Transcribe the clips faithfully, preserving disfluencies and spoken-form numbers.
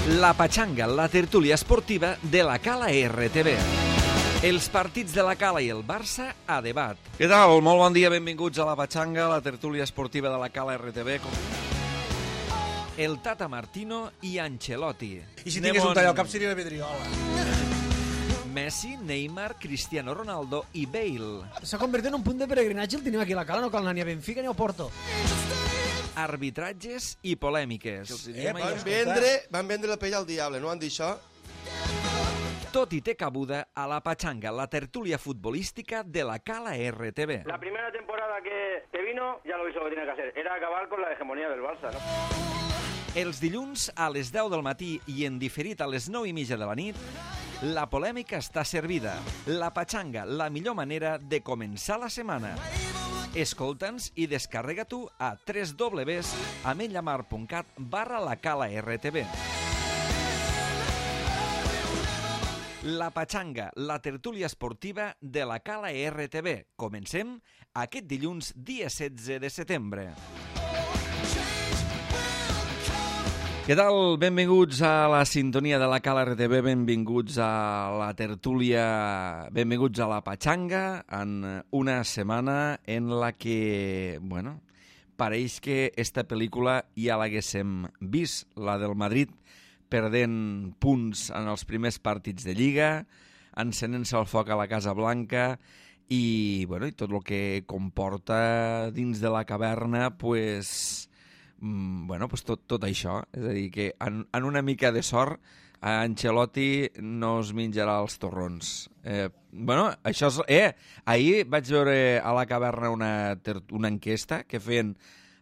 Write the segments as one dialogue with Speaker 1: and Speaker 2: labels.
Speaker 1: La Patxanga, la tertúlia esportiva de la Cala R T V. Els partits de la Cala i el Barça a debat. Què tal? Molt bon dia, benvinguts a la Patxanga, la tertúlia esportiva de la Cala R T V. El Tata Martino i Ancelotti.
Speaker 2: I si tingués un tall al cap seria la Vidriola.
Speaker 1: Messi, Neymar, Cristiano Ronaldo i Bale.
Speaker 3: S'ha convertit en un punt de peregrinatge, el tenim aquí a la Cala, no cal anar ni a Benfica ni a Porto.
Speaker 1: Arbitratges i polèmiques.
Speaker 4: Eh, van, vendre, van vendre la pell al diable, no han dit això?
Speaker 1: Tot i té cabuda a la Patxanga, la tertúlia futbolística de la Cala R T V.
Speaker 5: La primera temporada que, que vino ya lo hizo lo que tenía que hacer, era acabar con la hegemonía del Barça, ¿no?
Speaker 1: Els dilluns a les deu del matí i en diferit a les nou i mitja de la nit, la polèmica està servida. La Patxanga, la millor manera de començar la setmana. Escolta'ns i descarrega tu a w w w punt ametlllamar punt cat barra la Cala R T V. La Patxanga, la tertúlia esportiva de la Cala R T V. Comencem aquest dilluns, dia setze de setembre. Què tal? Benvinguts a la sintonia de la Cala R T V, benvinguts a la tertúlia, benvinguts a la Patxanga, en una setmana en la que, bueno, pareix que esta pel·lícula ja l'haguéssim vist, la del Madrid, perdent punts en els primers partits de Lliga, encenent-se el foc a la Casa Blanca i, bueno, i tot el que comporta dins de la caverna, pues... bueno, pues tot, tot això. És a dir, que en, en una mica de sort Ancelotti no es menjarà els torrons. Eh, bueno, això és... Eh, ahir vaig veure a la caverna una, una enquesta que feien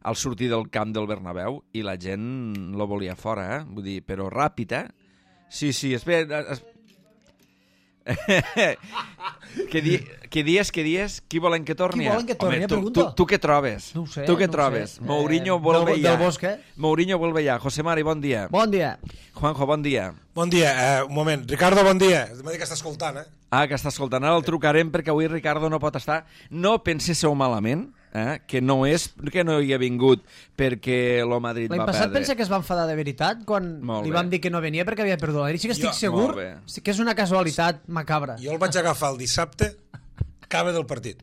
Speaker 1: al sortir del camp del Bernabéu i la gent lo volia fora, eh? Vull dir, però ràpid, eh? Sí, sí, espera... Es... Què di què dies, què dies? Qui volen que torni?
Speaker 3: Qui volen que torni?
Speaker 1: Home, tu,
Speaker 3: pregunto.
Speaker 1: tu, tu què trobes?
Speaker 3: No ho sé.
Speaker 1: Tu què
Speaker 3: no
Speaker 1: trobes?
Speaker 3: Sé.
Speaker 1: Mourinho
Speaker 3: eh,
Speaker 1: vuelve
Speaker 3: del,
Speaker 1: ya.
Speaker 3: Del Bosque.
Speaker 1: Mourinho vuelve ya. José Mari, bon dia.
Speaker 3: Bon dia.
Speaker 1: Juanjo, bon dia.
Speaker 2: Bon dia, eh, un moment. Ricardo, bon dia. M'ha dit que està escoltant, eh?
Speaker 1: Ah, que està escoltant. Ara el trucarem perquè avui Ricardo no pot estar. No penséssiu malament, eh? Que no és que no hi ha vingut perquè el Madrid va
Speaker 3: perdre. L'any passat
Speaker 1: perdre.
Speaker 3: pensa que es va enfadar de veritat quan
Speaker 1: Molt
Speaker 3: li
Speaker 1: bé.
Speaker 3: vam dir que no venia perquè havia perdut la Lliga. Sí que estic
Speaker 2: Jo-
Speaker 3: segur
Speaker 1: Molt bé.
Speaker 3: sí que és una casualitat macabra.
Speaker 2: Jo el vaig agafar el dissabte, cabe del partit.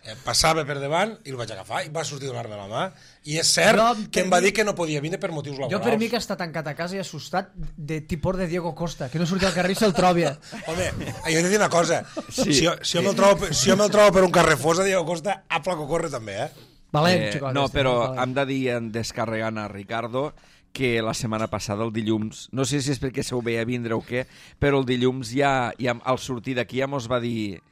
Speaker 2: Eh, passava per davant i el vaig agafar i va sortir donar-me la mà. I és cert
Speaker 3: Jo,
Speaker 2: que em
Speaker 3: per
Speaker 2: va
Speaker 3: mi-
Speaker 2: dir que no podia vindre per motius laborals.
Speaker 3: Jo per mi que està tancat a casa i assustat de tipor de Diego Costa, que no surti al carrer i se'l trobi.
Speaker 2: Home, jo he de dir una cosa.
Speaker 1: Sí.
Speaker 2: Si, jo, si, jo me'l trobo, si jo me'l trobo per un carrer fos a Diego Costa, a placo corre també, eh?
Speaker 3: Valent,
Speaker 1: Eh,
Speaker 3: xicot,
Speaker 1: no,
Speaker 3: este,
Speaker 1: però
Speaker 3: valent.
Speaker 1: hem de dir, en descarregant a Ricardo, que la setmana passada, el dilluns, no sé si és perquè se ho veia vindre o què, però el dilluns ja, ja al sortir d'aquí ja mos va dir...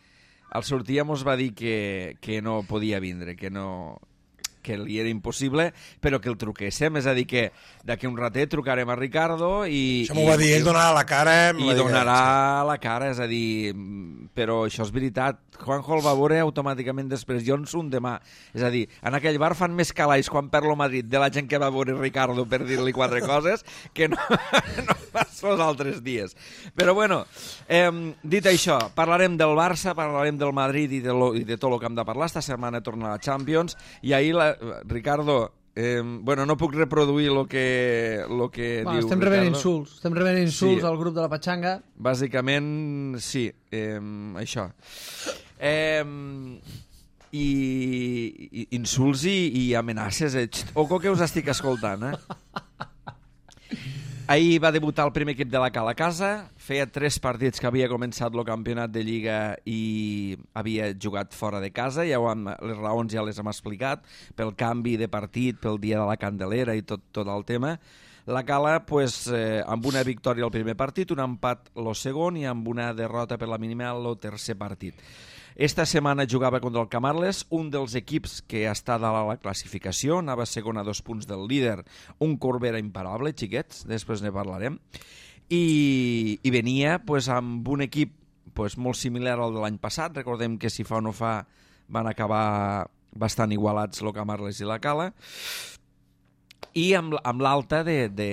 Speaker 1: Al sortir ja mos va dir que, que no podia vindre, que no... que li era impossible, però que el truquéssim, és a dir, que d'aquí un ratet trucarem a Ricardo i...
Speaker 2: Això m'ho va dir, ell donarà la cara... em
Speaker 1: I
Speaker 2: va dir que-
Speaker 1: donarà la cara, és a dir, però això és veritat. Juanjo el va veure automàticament després, jo en son demà. És a dir, en aquell bar fan més calaix quan perd el Madrid de la gent que va veure Ricardo per dir-li quatre coses que no, no pas els altres dies. Però bueno, eh, dit això, parlarem del Barça, parlarem del Madrid i de, lo, i de tot el que hem de parlar. Esta setmana torna la Champions i ahir, la, Ricardo... Eh, bueno, no puc reproduir el que, lo que
Speaker 3: Va,
Speaker 1: diu
Speaker 3: estem rebent
Speaker 1: Ricardo.
Speaker 3: insults. Estem rebent insults
Speaker 1: Sí.
Speaker 3: al grup de la Patxanga.
Speaker 1: Bàsicament, sí, eh, això. Eh, i, i insults i, i amenaces. Eh? Xt, oco que us estic escoltant, eh? Ahir va debutar el primer equip de la Cala a casa, feia tres partits que havia començat el campionat de Lliga i havia jugat fora de casa, ja ho hem, les raons ja les hem explicat, pel canvi de partit, pel dia de la Candelera i tot, tot el tema. La Cala, pues, eh, amb una victòria al primer partit, un empat el segon i amb una derrota per la mínima el tercer partit. Esta setmana jugava contra el Camarles, un dels equips que està dalt a la classificació, anava segon a dos punts del líder, un Corbera imparable, xiquets, després ne parlarem, i, i venia pues, amb un equip pues, molt similar al de l'any passat. Recordem que si fa o no fa van acabar bastant igualats el Camarles i la Cala, i amb, amb l'alta de, de,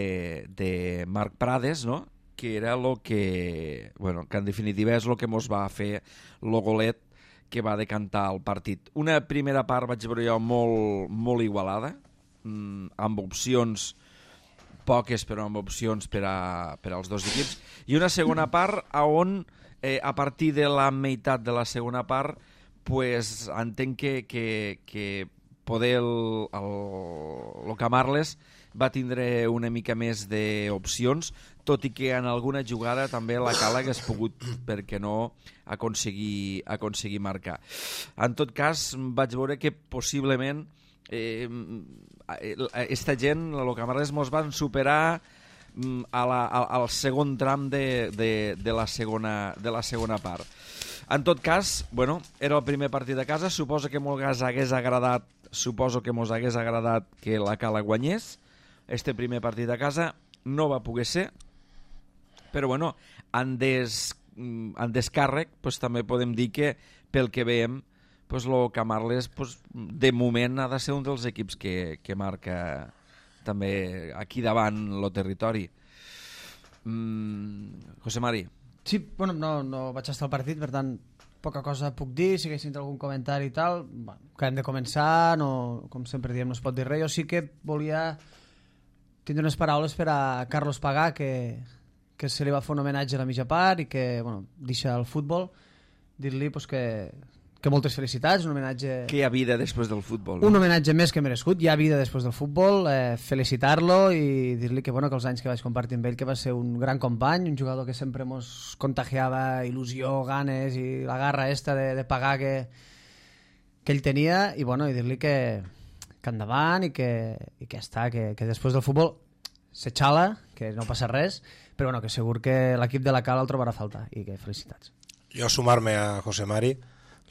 Speaker 1: de Marc Prades, no?, que era el que, bueno, que en definitiva és el que mos va fer el golet que va decantar el partit. Una primera part vaig veure jo molt, molt igualada, mmm, amb opcions poques però amb opcions per, a, per als dos equips, i una segona part a on eh, a partir de la meitat de la segona part pues, entenc que, que, que poder el, el, el Camarles va tindre una mica més d'opcions, tot i que en alguna jugada també la Cala hagués pogut, per què no, aconseguir, aconseguir marcar. En tot cas, vaig veure que possiblement eh, esta gent, el Camarles, mos van superar a la, a, al segon tram de, de, de, la segona, de la segona part. En tot cas, bueno, era el primer partit a casa, suposo que mos hagués agradat, suposo que mos hagués agradat que la Cala guanyés. Este primer partit a casa no va poder ser, però bueno, en, des, en descàrrec pues, també podem dir que pel que veiem pues, lo Camarles pues, de moment ha de ser un dels equips que, que marca també aquí davant el territori. Mm, José Mari.
Speaker 3: Sí, bueno, no, no vaig estar al partit, per tant poca cosa puc dir, si haguessin algun comentari i tal, bueno, que hem de començar, no, com sempre diem, no es pot dir res. Jo sí que volia tindre unes paraules per a Carlos Pagà, que, que se li va fer un homenatge a la mitja part i que, bueno, deixa el futbol, dir-li pues, que, que moltes felicitats, un homenatge...
Speaker 1: Que hi ha vida després del futbol. No?
Speaker 3: Un homenatge més que merescut, hi ha vida després del futbol, eh, felicitar-lo i dir-li que, bueno, que els anys que vaig compartir amb ell, que va ser un gran company, un jugador que sempre mos contagiava il·lusió, ganes i la garra esta de, de pagar que, que ell tenia, i, bueno, i dir-li que, que endavant i que, i que està, que, que després del futbol se xala, que no passa res, però bueno, que segur que l'equip de la Cala el trobarà a faltar i que felicitats.
Speaker 2: Jo sumar-me a José Mari,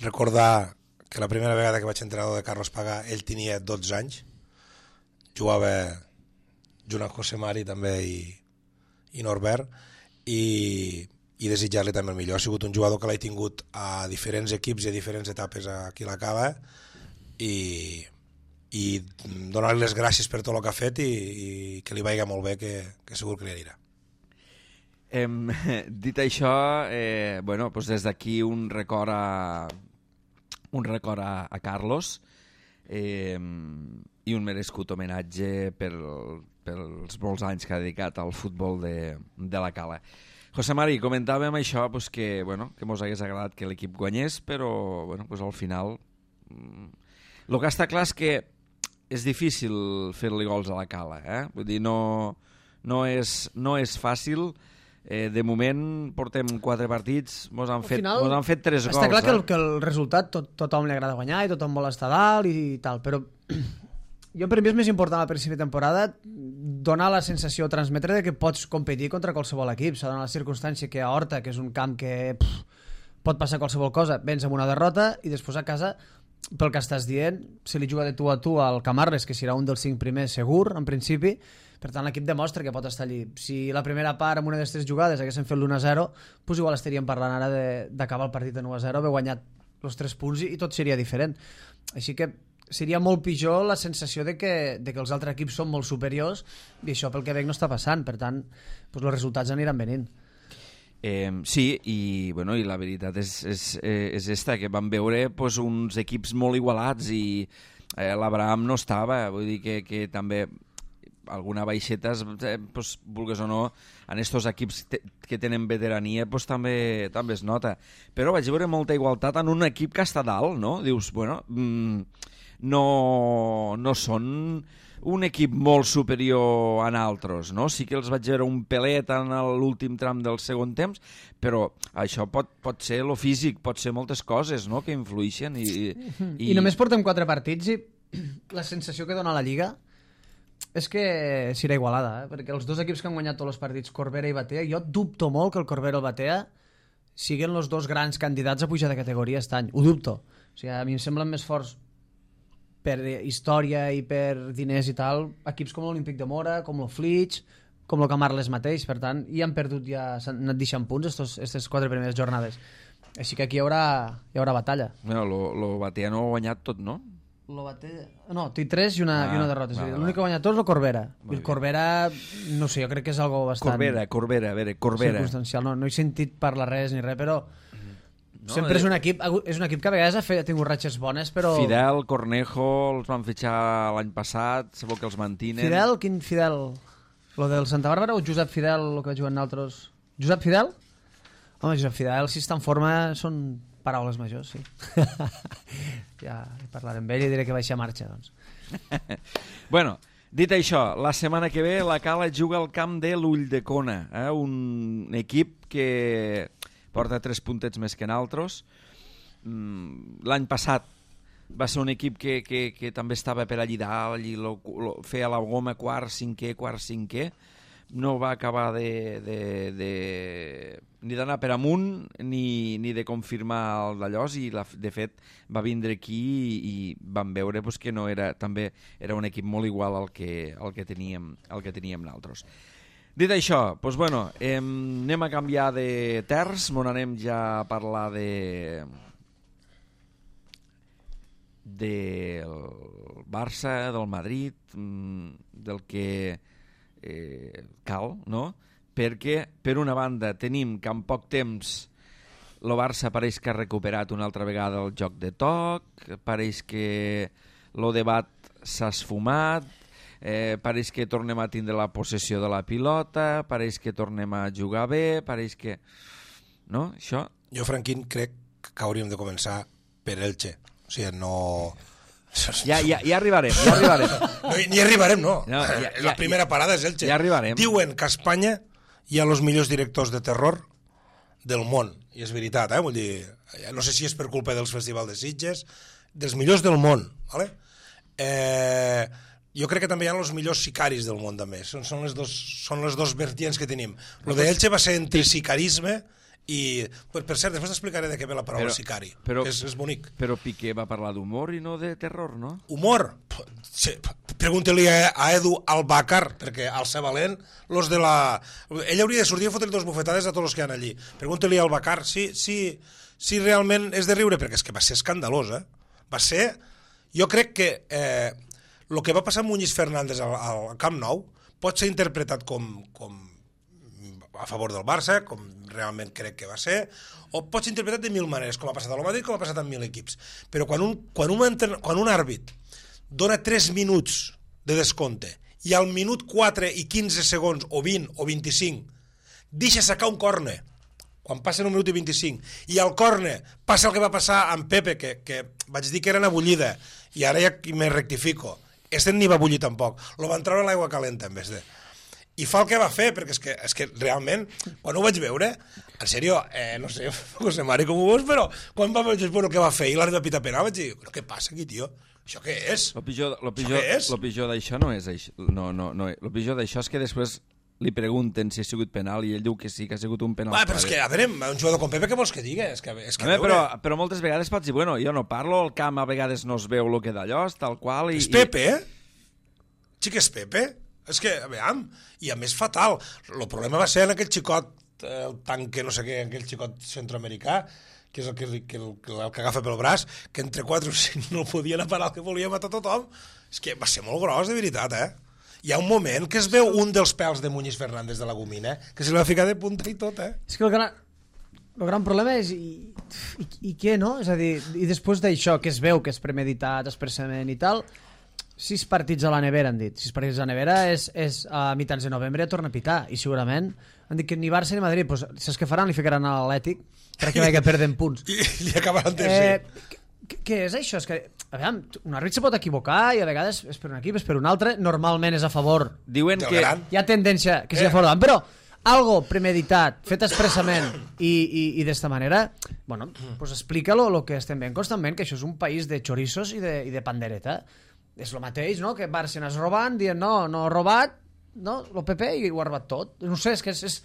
Speaker 2: recordar que la primera vegada que vaig entrenador de Carlos Pagà ell tenia dotze anys, jugava junt amb José Mari també i, i Norbert, i, i desitjar-li també el millor. Ha sigut un jugador que l'he tingut a diferents equips i a diferents etapes aquí a la Cala, i i donar-li les gràcies per tot el que ha fet i, i que li vagi molt bé, que, que segur que li anirà.
Speaker 1: Eh, dit això, eh, bueno, doncs des d'aquí un record a, un record a, a Carlos eh, i un merescut homenatge per, pels molts anys que ha dedicat al futbol de, de la Cala. José Mari, comentàvem això, pues que, bueno, que mos hagués agradat que l'equip guanyés, però bueno, pues al final el que està clar és que és difícil fer-li gols a la Cala, eh? Vull dir, no, no, és, no és fàcil. Eh, de moment portem quatre partits, mos han, fet,
Speaker 3: final,
Speaker 1: mos han fet tres
Speaker 3: està
Speaker 1: gols.
Speaker 3: Està clar
Speaker 1: eh?
Speaker 3: que, el, que el resultat tot, tothom li agrada guanyar i tothom vol estar dalt i tal, però jo per mi és més important al principi de temporada donar la sensació, transmetre que pots competir contra qualsevol equip. S'ha donat la circumstància que a Horta, que és un camp que pff, pot passar qualsevol cosa, vens amb una derrota i després a casa, pel que estàs dient, se li juga de tu a tu al Camarles, que serà un dels cinc primers segur, en principi. Per tant, l'equip demostra que pot estar allí. Si la primera part, amb una d'aquestes jugades, haguessin fet l'u a zero, doncs igual estaríem parlant ara d'acabar el partit de nou a zero, haver guanyat els tres punts i, i tot seria diferent. Així que seria molt pitjor la sensació de que, de que els altres equips són molt superiors i això pel que veig no està passant. Per tant, doncs els resultats aniran venint.
Speaker 1: Eh, sí, i, bueno, i la veritat és, és, és esta, que vam veure pues, uns equips molt igualats i eh, l'Abraham no estava, vull dir que, que també alguna baixeta, eh, pues, vulgues o no, en estos equips te, que tenen veterania pues, també, també es nota. Però vaig veure molta igualtat en un equip que està dalt, no? Dius, bueno, mm, no, no són un equip molt superior a altres, no? Sí que els vaig veure un pelet en l'últim tram del segon temps, però això pot, pot ser lo físic, pot ser moltes coses, no?, que influïxen. I,
Speaker 3: i... I només portem quatre partits i la sensació que dona la Lliga és que serà igualada, eh? Perquè els dos equips que han guanyat tots els partits, Corbera i Batea, jo dubto molt que el Corbera i el Batea siguin els dos grans candidats a pujar de categoria aquest any. Ho dubto. O sigui, a mi em semblen més forts per història i per diners i tal, equips com l'Olímpic de Mora, com el Flix, com el Camarles mateix, per tant, i han perdut ja, s'han anat deixant punts aquestes quatre primeres jornades. Així que aquí hi haurà, hi haurà batalla.
Speaker 1: Bueno, lo, lo Batea no ha guanyat tot, no?
Speaker 3: Lo Batea... No, té tres i una, ah, i una derrota.
Speaker 1: Va, va,
Speaker 3: l'únic que ha guanyat tots és el Corbera. I el Corbera, no sé, jo crec que és algo bastant...
Speaker 1: Corbera, Corbera, a veure, Corbera.
Speaker 3: Circumstancial, no, no he sentit parlar res ni res, però...
Speaker 1: No,
Speaker 3: sempre és un equip és un equip que a vegades ha, fet, ha tingut ratxes bones, però...
Speaker 1: Fidel, Cornejo, els van fitxar l'any passat, sabeu que els mantinen.
Speaker 3: Fidel? Quin Fidel? Lo del Santa Bàrbara o Josep Fidel, el que juguen altres... Josep Fidel? Home, Josep Fidel, si està en forma, són paraules majors, sí. Ja parlaré amb ell i diré que baixa a marxa, doncs.
Speaker 1: Bueno, dit això, la setmana que ve la Cala juga al camp de l'Ulldecona, eh? Un equip que porta tres puntets més que naltros. L'any passat va ser un equip que, que, que també estava per allí dalt, allí lo, lo, feia la goma quart, cinquè, quart, cinquè. No va acabar de, de, de, ni d'anar per amunt ni, ni de confirmar el d'allòs i la, de fet va vindre aquí i, i vam veure pues, que no era, també era un equip molt igual al que, al que teníem, al que teníem nosaltres. Dit això, doncs, bueno, eh, anem a canviar de terç, on anem ja a parlar de del Barça, del Madrid, del que eh, cal, no? Perquè, per una banda, tenim que en poc temps el Barça pareix que ha recuperat una altra vegada el joc de toc, pareix que el debat s'ha esfumat, eh, pareix que tornem a tindre la possessió de la pilota, pareix que tornem a jugar bé, pareix que... No? Això?
Speaker 2: Jo, Franquín, crec que hauríem de començar per Elche. O sigui, no...
Speaker 1: Ja, ja, ja arribarem, ja arribarem.
Speaker 2: No, ni arribarem, no.
Speaker 1: no ja, ja,
Speaker 2: la primera parada és Elche.
Speaker 1: Ja arribarem.
Speaker 2: Diuen que a Espanya hi ha els millors directors de terror del món. I és veritat, eh? Vull dir, no sé si és per culpa dels festivals de Sitges, dels millors del món, ¿vale? Eh, jo crec que també hi ha els millors sicaris del món, també. Són, són, les dos, són les dos vertients que tenim. Lo de Elche va ser entre sicarisme i, per, per cert, després t'explicaré de què ve la paraula però, sicari, però, que és, és bonic.
Speaker 1: Però Piqué va parlar d'humor i no de terror, no?
Speaker 2: Humor? Sí, pregunta-li a, a Edu Albacar, perquè al ser valent, los de la... ell hauria de sortir a fotre dos bufetades a tots els que hi ha allí. Pregunta-li a Albacar si, si, si realment és de riure, perquè és que va ser escandalós, eh? Va ser... Jo crec que eh, el que va passar amb Muñiz Fernández al, al Camp Nou pot ser interpretat com... com a favor del Barça, com realment crec que va ser, o pot ser interpretat de mil maneres, com ha passat a Madrid, com ha passat amb mil equips. Però quan un, quan un, quan un àrbit dona tres minuts de descompte i al minut quatre i quinze segons, o vint, o vint-i-cinc, deixa sacar un córner, quan passen un minut i vint-i-cinc, i al córner passa el que va passar amb Pepe, que, que vaig dir que era una bullida, i ara ja me rectifico, este ni va bullir tampoc, lo van treure a l'aigua calenta en vez de... I fa el que va fer, perquè és que, és que realment, quan ho vaig veure, en sèrio, eh, no sé, José Mari, com ho veus, però quan va veure el que va fer i l'àrbitre pita penal, vaig dir, però què passa aquí, tio? Això què és?
Speaker 1: Lo pitjor, lo pitjor, lo pitjor d'això no és això. No, no, no. Lo pitjor d'això és que després li pregunten si ha sigut penal i ell diu que sí, que ha sigut un penal.
Speaker 2: Va, però és que, a veure, un jugador com Pepe, què vols que digui? És que, és que
Speaker 1: veure... però, però moltes vegades pots dir, bueno, jo no parlo, el camp a vegades no es veu el que d'allò, tal qual... I,
Speaker 2: és Pepe, eh? Sí que és Pepe? És que, a veure, i a més fatal. El problema va ser en aquell xicot, el tanque, no sé què, aquell xicot centroamericà, que és el que, que, el, el que agafa pel braç, que entre quatre o cinc no podien parar el que volia matar tothom. És que va ser molt gros, de veritat, eh? Hi ha un moment que es veu un dels pèls de Muñiz Fernández de la gomina, que se li va ficar de punta i tot, eh?
Speaker 3: És que el gran, el gran problema és i, i, i què, no? És a dir, i després d'això, que es veu que és premeditat, expressament i tal... Sis partits a la nevera, han dit. Sis partits a la nevera és, és a mitjans de novembre ja torna a pitar. I segurament han dit que ni Barça ni Madrid, pues, saps què faran? Li ficaran a l'Atlètic perquè veig que perden punts.
Speaker 2: I li acabaran tercer.
Speaker 3: Eh, què és això? És que, a veure, un àrbit se pot equivocar i a vegades és per un equip, és per un altre. Normalment és a favor.
Speaker 1: Diuen que
Speaker 3: hi ha tendència que sigui a favor davant, però algo premeditat, fet expressament i, i, i d'esta manera, bueno, pues explica-lo lo que estem veient constantment, que això és un país de chorizos i de, i de pandereta. És el mateix, no?, que Barça anés robant, dient, no, no ha robat, no, el P P i ho ha robat tot. No sé, és que és, és...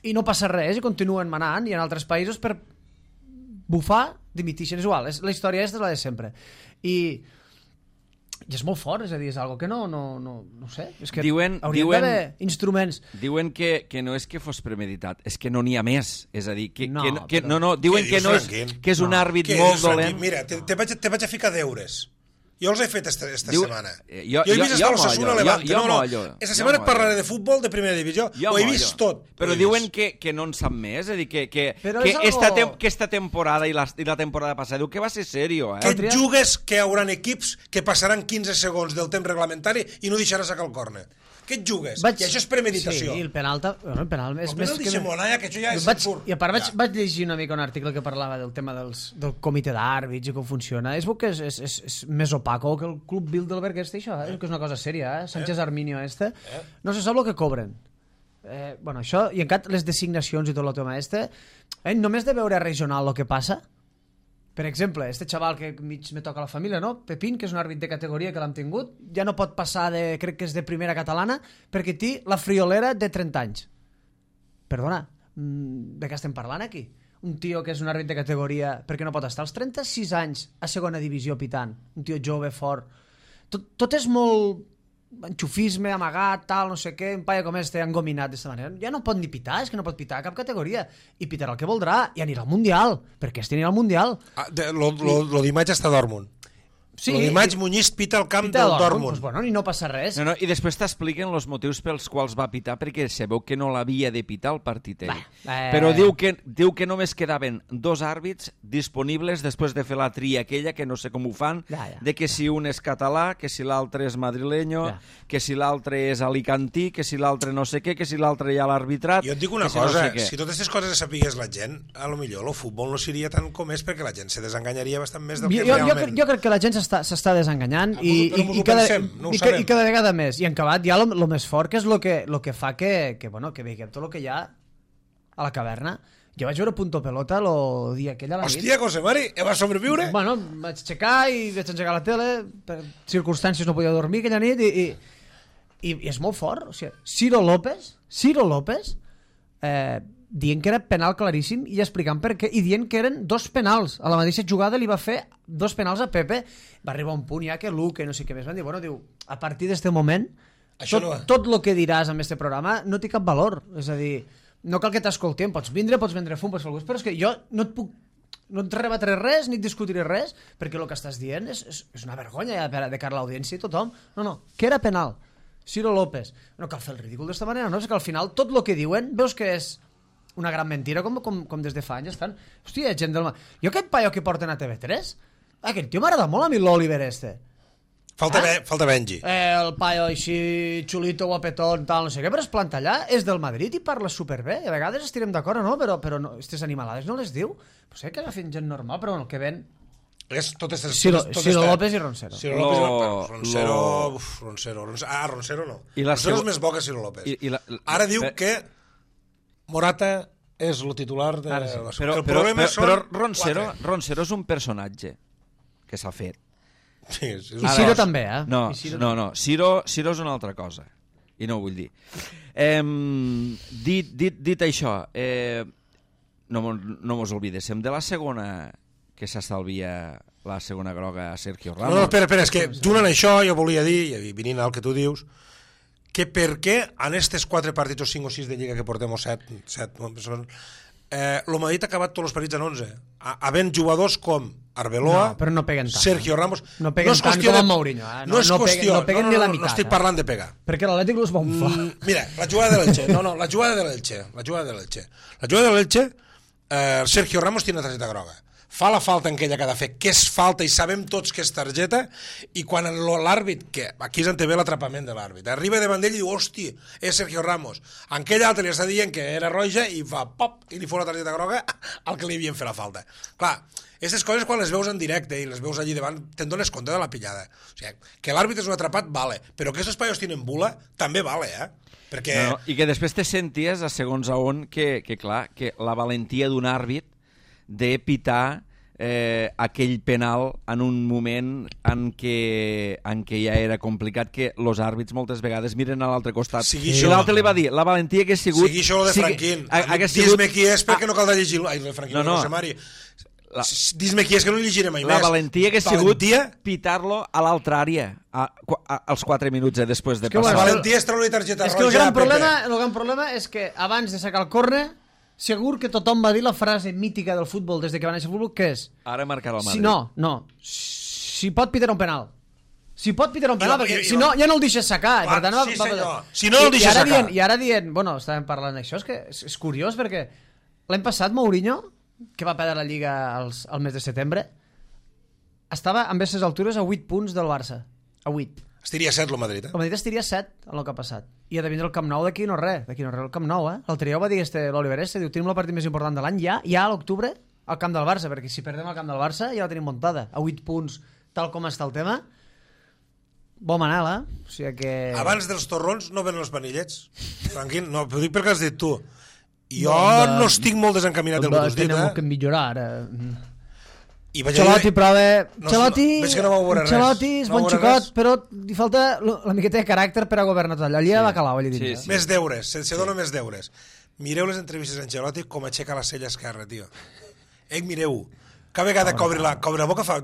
Speaker 3: I no passa res, i continuen manant, i en altres països per bufar dimitixen. És igual, és, la història és la de sempre. I, i és molt fort, és a dir, és algo que no, no, no, no sé, és que
Speaker 1: diuen,
Speaker 3: hauríem
Speaker 1: diuen,
Speaker 3: d'haver instruments.
Speaker 1: Diuen que, que no és que fos premeditat, és que no n'hi ha més. És a dir, que
Speaker 3: no,
Speaker 1: que, que,
Speaker 3: però...
Speaker 1: no, no, diuen que, no és, que és un
Speaker 3: no.
Speaker 1: àrbit molt dolent.
Speaker 2: Mira, te, te, vaig, te vaig a ficar deures. Jo els he fet esta, esta
Speaker 1: Diu,
Speaker 2: setmana.
Speaker 1: Jo,
Speaker 2: jo he vist
Speaker 1: jo,
Speaker 2: hasta l'Osasuna Levante. No, no, esta setmana
Speaker 1: jo
Speaker 2: parlaré de futbol de primera divisió.
Speaker 1: Jo
Speaker 2: ho he vist tot.
Speaker 1: Però diuen que, que no en sap més. És a dir, que, que, que, algo... esta, tem que esta temporada i la, i la temporada passada diu que va ser serio. Eh?
Speaker 2: Que et jugues que hi haurà equips que passaran quinze segons del temps reglamentari i no deixarà sacar el córner. què et jugues?
Speaker 3: Vaig...
Speaker 2: I això és premeditació.
Speaker 3: Sí, el penal... Bueno, el penal és
Speaker 2: el
Speaker 3: més
Speaker 2: penal
Speaker 3: que...
Speaker 2: Xemonalla, que això ja és
Speaker 3: vaig...
Speaker 2: absurd.
Speaker 3: I a part vaig,
Speaker 2: Ja.
Speaker 3: vaig llegir una mica un article que parlava del tema dels, del comitè d'àrbits i com funciona. És bo que és, és, és, és més opaco que el club Bilderberg este, això, eh? Que és una cosa sèria, eh? Sánchez Arminio este.
Speaker 2: Eh?
Speaker 3: No se sap el que cobren. Eh, bueno, això, i encara les designacions i tot el tema este, eh, només de veure regional el que passa. Per exemple, este xaval que mig me toca la família, no? Pepín, que és un àrbit de categoria que l'hem tingut, ja no pot passar de, crec que és de primera catalana, perquè té la friolera de trenta anys. Perdona, de què estem parlant aquí? Un tio que és un àrbit de categoria perquè no pot estar als trenta-sis anys a segona divisió pitant, un tio jove, fort. Tot, tot és molt enxufisme, amagat, tal, no sé què, un paio com este engominat d'esta manera. Ja no pot ni pitar, és que no pot pitar a cap categoria. I pitarà el que voldrà, i anirà al Mundial, perquè este anirà al Mundial.
Speaker 2: Ah, de, lo, lo, lo d'imatge està a Dortmund.
Speaker 3: Sí,
Speaker 2: lo d'imatge Muñiz pita el camp
Speaker 3: pita
Speaker 2: del
Speaker 3: Dortmund,
Speaker 2: Dortmund.
Speaker 3: pues bueno, i no passa res.
Speaker 1: No, no, i després t'expliquen els motius pels quals va pitar, perquè se veu que no l'havia de pitar el partit ell.
Speaker 3: eh...
Speaker 1: Però diu que, diu que només quedaven dos àrbits disponibles després de fer la tria aquella, que no sé com ho fan,
Speaker 3: Ja, ja.
Speaker 1: de que si un és català, que si l'altre és madrileño,
Speaker 3: Ja.
Speaker 1: que si l'altre és alicantí, que si l'altre no sé què, que si l'altre hi ha l'arbitrat...
Speaker 2: Jo et dic una
Speaker 1: que si
Speaker 2: cosa,
Speaker 1: no sé què.
Speaker 2: si totes aquestes coses les sapigués la gent, a lo millor el futbol no seria tant com és, perquè la gent se desenganyaria bastant més del que
Speaker 3: Jo, jo,
Speaker 2: realment...
Speaker 3: crec, jo crec que la gent s'està s'està desenganyant
Speaker 2: Ah,
Speaker 3: i,
Speaker 2: però
Speaker 3: i,
Speaker 2: mos
Speaker 3: i,
Speaker 2: ho
Speaker 3: cada,
Speaker 2: pensem, no ho
Speaker 3: i, ca-
Speaker 2: sabem.
Speaker 3: i cada vegada més. I en acabat ja el més fort, que és el que, lo que fa que, que, bueno, que veiem tot el que hi ha a la caverna. Jo vaig veure Punto Pelota el dia aquell a la nit.
Speaker 2: Hòstia, José Mari, eh, vas sobreviure?
Speaker 3: Bueno, vaig aixecar i vaig engegar la tele, per circumstàncies no podia dormir aquella nit i, i, i, i és molt fort. O sigui, Ciro López, Ciro López, eh, dient que era penal claríssim i explicant per què, i dient que eren dos penals. A la mateixa jugada li va fer dos penals a Pepe. Va arribar un punt ja que Luque, no sé què més, van dir, bueno, diu, a partir d'este moment,
Speaker 2: Això
Speaker 3: tot,
Speaker 2: no va.
Speaker 3: tot el que diràs en este programa no té cap valor. És a dir, no cal que t'escoltem, pots vindre, pots vendre fum, pots fer el gust, però és que jo no et puc no et rebatre res, ni et discutiré res, perquè el que estàs dient és, és, és una vergonya ja de cara a l'audiència i tothom. No, no, que era penal. Ciro López. No cal fer el ridícul d'esta manera, no? És que al final tot el que diuen veus que és una gran mentira, com, com, com des de fa anys estan. Hòstia, gent del... Jo aquest paio que porten a T V tres, aquest tio m'agrada molt a mi l'Oliver este.
Speaker 2: Falta,
Speaker 3: Ah?
Speaker 2: be, falta Benji.
Speaker 3: Eh, el paio així, xulito, guapetón, tal, no sé què, però es planta allà, és del Madrid i parla superbé. A vegades estirem d'acord o no, però, però no, aquestes animalades no les diu. Pues sé que agafen gent normal, però bueno, el que ven...
Speaker 2: És tot este,
Speaker 3: Ciro,
Speaker 2: tot
Speaker 3: Ciro
Speaker 2: este-
Speaker 3: López i Roncero.
Speaker 2: Ciro López,
Speaker 1: Lo-
Speaker 2: no, Roncero,
Speaker 1: lo-
Speaker 2: uf, Roncero, Roncero, ah, Roncero no.
Speaker 1: I la
Speaker 2: Roncero
Speaker 1: segu-
Speaker 2: és més bo que Ciro López.
Speaker 1: I- i la- la-
Speaker 2: Ara diu
Speaker 1: pe-
Speaker 2: que Morata és el titular de...
Speaker 3: Ara sí.
Speaker 1: Però,
Speaker 2: el
Speaker 1: però,
Speaker 2: problema
Speaker 1: però,
Speaker 2: són
Speaker 1: però Roncero,
Speaker 2: quatre.
Speaker 1: Roncero és un personatge que s'ha fet.
Speaker 2: Sí, és, és
Speaker 3: I
Speaker 2: un-
Speaker 3: Ciro
Speaker 1: Ara,
Speaker 3: també, eh?
Speaker 1: No,
Speaker 3: I Ciro
Speaker 1: no, no. Ciro, Ciro és una altra cosa. I no ho vull dir. Eh, dit, dit, dit això, eh, no, mo- no mos oblidéssim de la segona que s'estalvia la segona groga a Sergio
Speaker 2: No,
Speaker 1: Ramos.
Speaker 2: no, espera, espera, és que junt amb això jo volia dir, i venint al que tu dius, que per què en estes quatre partits o cinc o sis de Lliga que portem o set, set eh, el Madrid ha acabat tots els partits en onze, havent jugadors com Arbeloa,
Speaker 3: No, però no peguen tant.
Speaker 2: Sergio Ramos...
Speaker 3: No peguen
Speaker 2: és
Speaker 3: tant
Speaker 2: qüestió
Speaker 3: com
Speaker 2: de-
Speaker 3: en Mourinho, eh? No-
Speaker 2: No, és
Speaker 3: no peguen-
Speaker 2: qüestió,
Speaker 3: no peguen
Speaker 2: no,
Speaker 3: ni
Speaker 2: no,
Speaker 3: la
Speaker 2: no,
Speaker 3: meitat,
Speaker 2: no estic
Speaker 3: eh?
Speaker 2: parlant de pegar.
Speaker 3: Perquè l'Atlètic los va unflar.
Speaker 2: Mm, mira, la jugada de l'Elche, no, no, la jugada de l'Elche, la jugada de l'Elche. La jugada de l'Elche, eh, Sergio Ramos tiene una targeta groga. Fa la falta en aquella que ha de fer, que és falta i sabem tots que és targeta, i quan l'àrbit, que aquí és on té bé l'atrapament de l'àrbit, arriba davant d'ell i diu, hosti, és Sergio Ramos. En aquell altre li està dient que era roja i fa pop, i li fot la targeta groga al que li havien fet la falta. Clar, aquestes coses quan les veus en directe i les veus allí davant, te'n dones compte de la pillada. O sigui, que l'àrbit és un atrapat, vale, però que aquests paios tenen bula, també vale, eh? Perquè...
Speaker 1: No, no, i que després te senties a segons a on que, que clar, que la valentia d'un àrbit de pitar eh, aquell penal en un moment en què, en què ja era complicat, que els àrbits moltes vegades miren a l'altre costat.
Speaker 2: Sigui
Speaker 1: I
Speaker 2: això-
Speaker 1: l'altre li va dir, la valentia hagués sigut...
Speaker 2: Sigui això de
Speaker 1: sigui-
Speaker 2: Franquín.
Speaker 1: ha- hagués sigut-
Speaker 2: Dis-me qui és perquè
Speaker 1: Ah,
Speaker 2: no caldrà llegir... Ai, de Franquín,
Speaker 1: No,
Speaker 2: no,
Speaker 1: no.
Speaker 2: José Mari.
Speaker 1: La-
Speaker 2: Dis-me qui és que no llegiré mai
Speaker 1: La
Speaker 2: més.
Speaker 1: valentia hagués sigut
Speaker 2: Valentia?
Speaker 1: pitar-lo a l'altra àrea a, a, als quatre minuts eh, després de
Speaker 3: que,
Speaker 1: passar.
Speaker 2: La
Speaker 3: bueno,
Speaker 2: valentia és treure targeta
Speaker 3: És que el
Speaker 2: roja
Speaker 3: gran,
Speaker 2: a Pepe.
Speaker 3: problema, el gran problema és que abans de sacar el córner, segur que tothom va dir la frase mítica del futbol des de que va néixer el futbol, que és
Speaker 1: Ara marcarà el Madrid.
Speaker 3: si no, no, si pot pitar un penal. Si pot pitar un penal,
Speaker 2: I-
Speaker 3: perquè
Speaker 2: i-
Speaker 3: si no, ja no el deixes sacar.
Speaker 2: Clar,
Speaker 3: Per tant, va,
Speaker 2: sí,
Speaker 3: va-
Speaker 2: senyor. Si no el
Speaker 3: I-
Speaker 2: deixes
Speaker 3: i ara
Speaker 2: sacar.
Speaker 3: Dient, I ara dient, bueno, estàvem parlant d'això, és que és, és curiós perquè l'any passat Mourinho, que va perdre la Lliga als, al mes de setembre, estava amb aquestes altures a vuit punts del Barça. A vuit.
Speaker 2: Estiria set el Madrid, eh?
Speaker 3: El Madrid estiria set en el que ha passat. I ha de vindre el Camp Nou d'aquí no res. D'aquí no res, el Camp Nou, eh? L'altre dia ho va dir este, l'Oliver este, diu, tenim el partit més important de l'any ja, ja a l'octubre, al camp del Barça, perquè si perdem el camp del Barça ja la tenim muntada. A vuit punts, tal com està el tema, bon manal, eh? O sigui que...
Speaker 2: Abans dels torrons no venen els panillets. Franquín, no, ho dic perquè has dit tu. Jo
Speaker 3: no,
Speaker 2: no estic molt desencaminat del que t'has dit,
Speaker 3: Tenim
Speaker 2: eh?
Speaker 3: que millorar, ara.
Speaker 2: I vaig
Speaker 3: Xalotti,
Speaker 2: dir...
Speaker 3: prova...
Speaker 2: No,
Speaker 3: Xalotti,
Speaker 2: veig que no va veure res.
Speaker 3: Xalotti és
Speaker 2: No
Speaker 3: bon
Speaker 2: va veure
Speaker 3: xicot,
Speaker 2: res.
Speaker 3: però li falta la miqueta de caràcter per a governar tot allò. Allí ja va calar, allà
Speaker 1: Sí,
Speaker 3: dintre.
Speaker 1: sí.
Speaker 2: Més deures, se'ls dona més deures. Mireu les entrevistes d'en Xalotti com aixeca la cella esquerra, tio. Ell, mireu. Cada vegada que obri la, que obri la boca fa...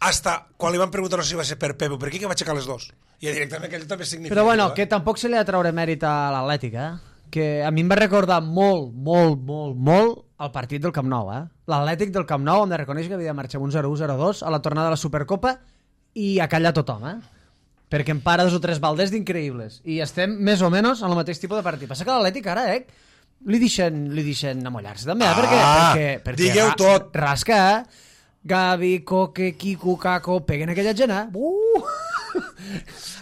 Speaker 2: Hasta quan li van preguntar no sé si va ser per Pepe, per què que va aixecar les dos? I directament aquell també significa...
Speaker 3: Però bueno,
Speaker 2: eh?
Speaker 3: que tampoc se li ha de treure mèrit a l'Atlètic, eh? Que a mi em va recordar molt, molt, molt, molt el partit del Camp Nou, eh? L'Atlètic del Camp Nou, hem de reconèixer que havia de marxar amb un zero u zero dos a la tornada de la Supercopa i a callar tothom, eh? Perquè em para dos o tres baldes d'increïbles. I estem més o menys en el mateix tipus de partit. Passa que l'Atlètic ara, eh? Li deixen, li deixen amollar-se també, eh? Perquè,
Speaker 2: Ah,
Speaker 3: perquè, perquè
Speaker 2: digueu
Speaker 3: ra-
Speaker 2: tot.
Speaker 3: Rasca, eh? Gavi, Coque, Quico, Caco, peguen aquella gent, eh? Uh!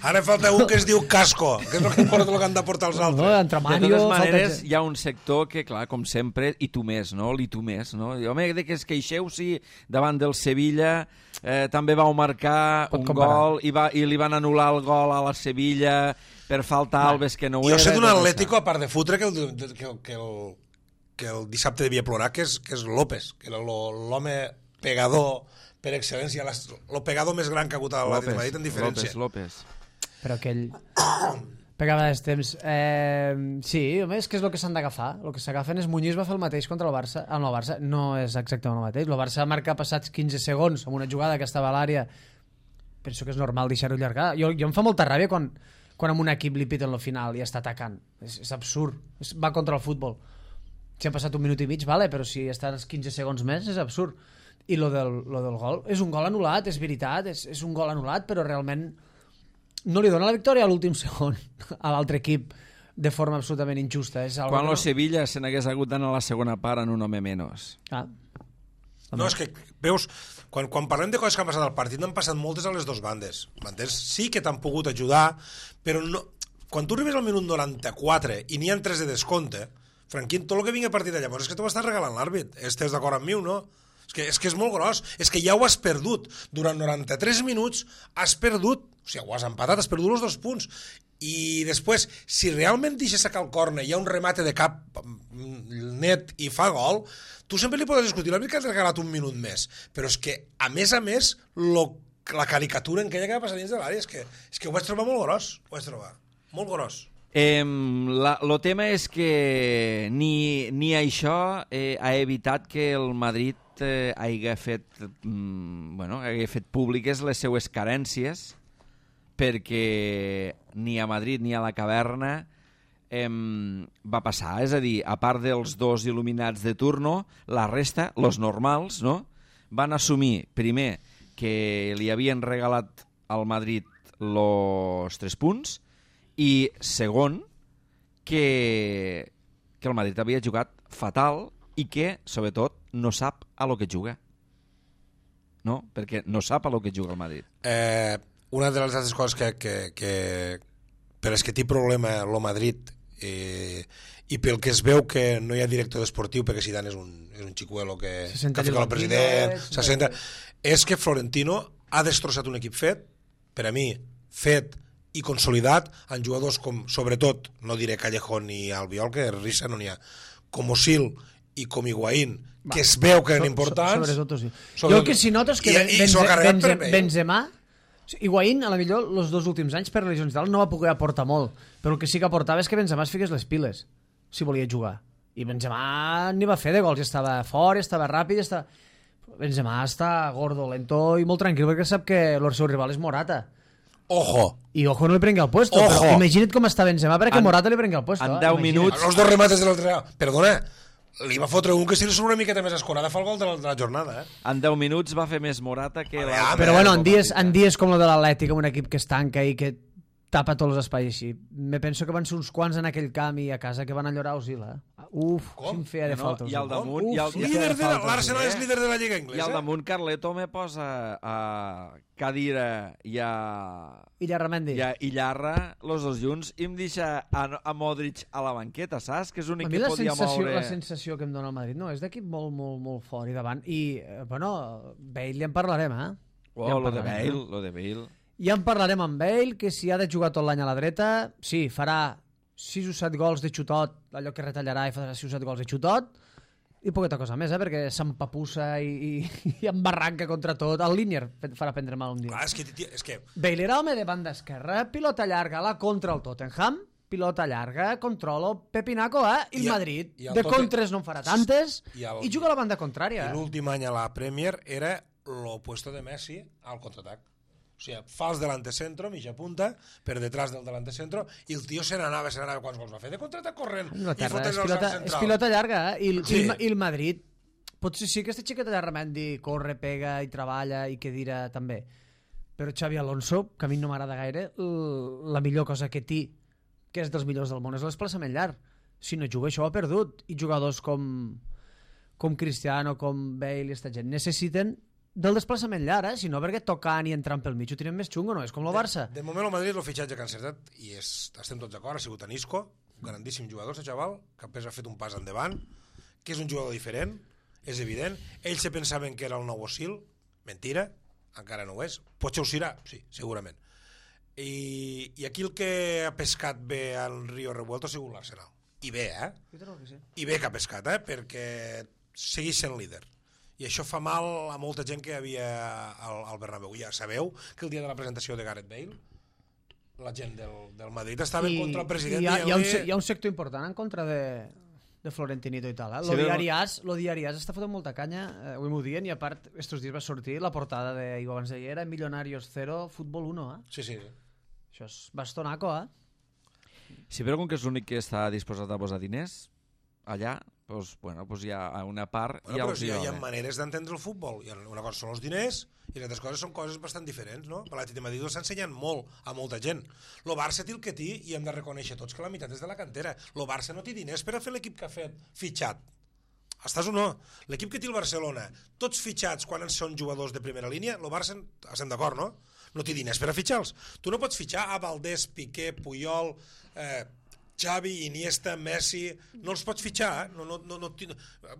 Speaker 2: Ara falta un que es diu Casco, que és el que porta el que han de portar els
Speaker 3: No,
Speaker 2: altres.
Speaker 3: entre
Speaker 1: De
Speaker 3: Mario,
Speaker 1: totes
Speaker 3: falta
Speaker 1: maneres,
Speaker 3: gent.
Speaker 1: hi ha un sector que, clar, com sempre, i tu més, no? I tu més, no? I, home, de que es queixeu, sí, davant del Sevilla, eh, també vau marcar
Speaker 3: Pot
Speaker 1: un
Speaker 3: comparar.
Speaker 1: gol i, va, i li van anul·lar el gol a la Sevilla per falta a Alves, que no ho
Speaker 2: Jo
Speaker 1: era.
Speaker 2: sé d'un
Speaker 1: tot
Speaker 2: Atlético,
Speaker 1: això.
Speaker 2: a part de fotre, que el, que, el, que, el, que el dissabte devia plorar, que és, que és López, que era lo- l'home pegador per excel·lència, el pegador més gran que ha hagut a l'Atlètic de Madrid en diferència.
Speaker 1: López, López.
Speaker 3: Però aquell... Pegava des temps. Eh, sí, home, és que és el que s'han d'agafar. El que s'agafen és Muñiz va fer el mateix contra el Barça. Amb el Barça no és exactament el mateix. El Barça marca passats quinze segons amb una jugada que estava a l'àrea. Penso que és normal deixar-ho allargar. Jo, jo em fa molta ràbia quan, quan amb un equip li piten el final i està atacant. És, és absurd. És, va contra el futbol. Si han passat un minut i mig, vale, però si estan els quinze segons més, és absurd. I lo del, lo del gol, és un gol anul·lat, és veritat, és, és un gol anul·lat, però realment no li dona la victòria a l'últim segon a l'altre equip de forma absolutament injusta. És algo
Speaker 1: Quan
Speaker 3: que
Speaker 1: el Sevilla se n'hagués hagut d'anar a la segona part en un home menys.
Speaker 3: Ah,
Speaker 2: No, és que, veus, quan, quan parlem de coses que han passat al partit, n'han passat moltes a les dues bandes. M'entens? Sí que t'han pogut ajudar, però no... quan tu arribes al minut noranta-quatre i n'hi ha tres de descompte, Franquín, tot el que vingui a partir de llavors és que t'ho estàs regalant l'àrbit. Estàs d'acord amb mi o no? És que, és que és molt gros. És que ja ho has perdut. Durant noranta-tres minuts has perdut, o sigui, ho has empatat, has perdut els dos punts. I després, si realment deixes sacar el córner, hi ha un remate de cap net i fa gol, tu sempre li podes discutir, l'àrbit que has regalat un minut més. Però és que, a més a més, lo, la caricatura en aquella que va passar dins de l'àrea, és que, és que ho vaig trobar molt gros. Ho vaig trobar. Molt gros.
Speaker 1: Eh, la, lo tema és que ni, ni això eh, ha evitat que el Madrid eh, hagi fet, mm, bueno, hagi fet públiques les seues carències, perquè ni a Madrid ni a la caverna eh, va passar. És a dir, a part dels dos il·luminats de turno, la resta, los normals, no? Van assumir, primer, que li havien regalat al Madrid los tres punts, i segon, que, que el Madrid havia jugat fatal i que, sobretot, no sap a lo que juga. No? Perquè no sap a lo que juga el Madrid.
Speaker 2: Eh, una de les altres coses que, que, que per les que té problema el Madrid eh, i pel que es veu que no hi ha director esportiu perquè Zidane és un, és un xicuelo que,
Speaker 3: Se senta
Speaker 2: que ha ficat el
Speaker 3: el
Speaker 2: president,
Speaker 3: banquillo,
Speaker 2: se senta... és que Florentino ha destrossat un equip fet, per a mi, fet i consolidat en jugadors com, sobretot, no diré Callejón ni Albiol, que risa no n'hi ha, com Osil i com Higuaín,
Speaker 3: Va,
Speaker 2: que es veu que eren
Speaker 3: so-
Speaker 2: importants.
Speaker 3: Sobretot, sí.
Speaker 2: Sobretot.
Speaker 3: Jo el que si noto és que
Speaker 2: I-
Speaker 3: Ben-
Speaker 2: i
Speaker 3: Benze-
Speaker 2: s'ho ha carregat per
Speaker 3: Benze-
Speaker 2: ell.
Speaker 3: Benzema, Higuaín, a la millor, els dos últims anys per lesions i tal, no va poder aportar molt, però el que sí que aportava és que Benzema es fiqués les piles, si volia jugar. I Benzema n'hi va fer de gols, estava fort, estava ràpid, estava... Benzema està gordo, lento i molt tranquil, perquè sap que el seu rival és Morata.
Speaker 2: Ojo!
Speaker 3: I ojo no li prengui el puesto,
Speaker 2: Ojo.
Speaker 3: però imagina't com està Benzema perquè
Speaker 1: En-
Speaker 3: Morata li prengui el puesto.
Speaker 1: en
Speaker 3: eh?
Speaker 1: deu
Speaker 3: Imagina't.
Speaker 1: minuts-
Speaker 2: Els dos remates de l'altre... Perdona, li va fotre un que si li surt una miqueta més escorada fa el gol de la, de la jornada, eh?
Speaker 1: En deu minuts va fer més Morata que
Speaker 2: Vale,
Speaker 1: l'altre.
Speaker 2: home,
Speaker 3: Però bueno, en
Speaker 2: com
Speaker 3: dies,
Speaker 2: a
Speaker 3: en dies com el de l'Atlètic, amb un equip que es tanca i que tapa tots els espais així. Me penso que van ser uns quants en aquell camp i a casa que van enllorar Osil, eh? Uf,
Speaker 2: Com?
Speaker 3: quin feia de
Speaker 1: No,
Speaker 3: falta.
Speaker 1: i al
Speaker 3: Osil.
Speaker 1: damunt-
Speaker 3: Uf,
Speaker 1: i al-
Speaker 3: quin
Speaker 1: i al-
Speaker 3: feia de
Speaker 2: Líder de
Speaker 3: falta,
Speaker 2: l'Arsenal
Speaker 3: Osil.
Speaker 2: és líder de la Lliga
Speaker 1: I al
Speaker 2: Inglesa.
Speaker 1: damunt Carleto me posa a Cadira i a,
Speaker 3: I Llarramendi.
Speaker 1: i a Illarra, los dos junts, i em deixa a, a Modric a la banqueta, saps? Que és
Speaker 3: A
Speaker 1: l'únic
Speaker 3: mi
Speaker 1: que
Speaker 3: la
Speaker 1: podia
Speaker 3: sensació,
Speaker 1: moure...
Speaker 3: la sensació que em dona el Madrid no, és d'equip molt, molt, molt fort i davant. I, eh, bueno, Bale ja en parlarem, eh?
Speaker 1: Oh,
Speaker 3: ja en
Speaker 1: lo de
Speaker 3: parlarem,
Speaker 1: Bale,
Speaker 3: eh?
Speaker 1: lo de Bale.
Speaker 3: Ja en parlarem amb Bale, que si ha de jugar tot l'any a la dreta, sí, farà sis o set gols de xutot, allò que retallarà i farà sis o set gols de xutot, i poqueta cosa més, eh? Perquè s'empapussa i, i, i embarranca contra tot. El Línier farà prendre mal un dia.
Speaker 2: Clar, és que, tia, és que
Speaker 3: Bale era home de banda esquerra, pilota llarga, la contra el Tottenham, pilota llarga, controlo, pepinaco, eh? I el
Speaker 2: I el-
Speaker 3: Madrid,
Speaker 2: i el
Speaker 3: de
Speaker 2: Totte-
Speaker 3: contres no en farà tantes,
Speaker 2: I el-
Speaker 3: i juga a la banda contrària.
Speaker 2: i
Speaker 3: Eh?
Speaker 2: l'últim any a la Premier era l'opuesto de Messi al contraatac. O sigui, fals delante centro, mitja punta, per detrás del delante centro, i el tio se n'anava, se n'anava, quants gols va fer? De contraatac corrent, i
Speaker 3: Anglaterra,
Speaker 2: fotent
Speaker 3: és
Speaker 2: el
Speaker 3: pilota,
Speaker 2: sac
Speaker 3: és
Speaker 2: central.
Speaker 3: pilota llarga, eh? I, el,
Speaker 2: Sí.
Speaker 3: i, el, I el Madrid, potser sí que este xiquet de Ramendi corre, pega i treballa i que dirà també. Però Xavi Alonso, que a mi no m'agrada gaire, l- la millor cosa que té, que és dels millors del món, és l'esplaçament llarg. Si no juga, això ho ha perdut. I jugadors com, com Cristiano, com Bale i esta gent necessiten del desplaçament llarg, eh? Si no, perquè tocant i entrant pel mig ho tenen més xungo, no? És com el Barça.
Speaker 2: De, de moment el Madrid el fitxatge que ha encertat, i és, estem tots d'acord, ha sigut en Isco, un grandíssim jugador, aquest xaval, que després ha fet un pas endavant, que és un jugador diferent, és evident. Ells se pensaven que era el nou Osil, mentira, encara no ho és. Potser ho serà, sí, segurament. I, i aquí el que ha pescat bé al Río Revuelto ha sigut l'Arsenal. I bé, eh?
Speaker 3: Jo trobo que sí.
Speaker 2: I bé que ha pescat, eh? Perquè segueix sent líder. I això fa mal a molta gent que hi havia al, al Bernabéu. Ja sabeu que el dia de la presentació de Gareth Bale la gent del, del Madrid estava en contra el president.
Speaker 3: I hi, ha, hi, ha un,
Speaker 2: dient-li-
Speaker 3: se- hi ha un sector important en contra de, de Florentinito i tal. Eh?
Speaker 1: Sí,
Speaker 3: Lo
Speaker 1: però-
Speaker 3: diariàs, lo diariàs està fotent molta canya, eh, avui m'ho dient, i a part, estos dies va sortir la portada de, i abans d'ahir era Millonarios cero, Futbol uno, eh?
Speaker 2: Sí, sí.
Speaker 3: Això és bastonaco, eh?
Speaker 1: Sí, però com que és l'únic que està disposat a posar diners allà, doncs, bueno, doncs hi ha una part...
Speaker 2: Bueno,
Speaker 1: ja
Speaker 2: però
Speaker 1: els
Speaker 2: sí,
Speaker 1: hi
Speaker 2: hi
Speaker 1: va
Speaker 2: ha
Speaker 1: bé.
Speaker 2: maneres d'entendre el futbol. I una cosa són els diners i les altres coses són coses bastant diferents, no? L'Atlètic de Madrid s'ha ensenyat molt a molta gent. Lo Barça té el que té i hem de reconèixer tots que la meitat és de la cantera. Lo Barça no té diners per a fer l'equip que ha fet fitxat. Estàs o no? L'equip que té el Barcelona, tots fitxats quan són jugadors de primera línia, lo Barça, estem d'acord, no? No té diners per a fitxar-los. Tu no pots fitxar a Valdés, Piqué, Puyol, eh, Xavi, Iniesta, Messi, no els pots fitxar, eh? no, no, no, no, ti-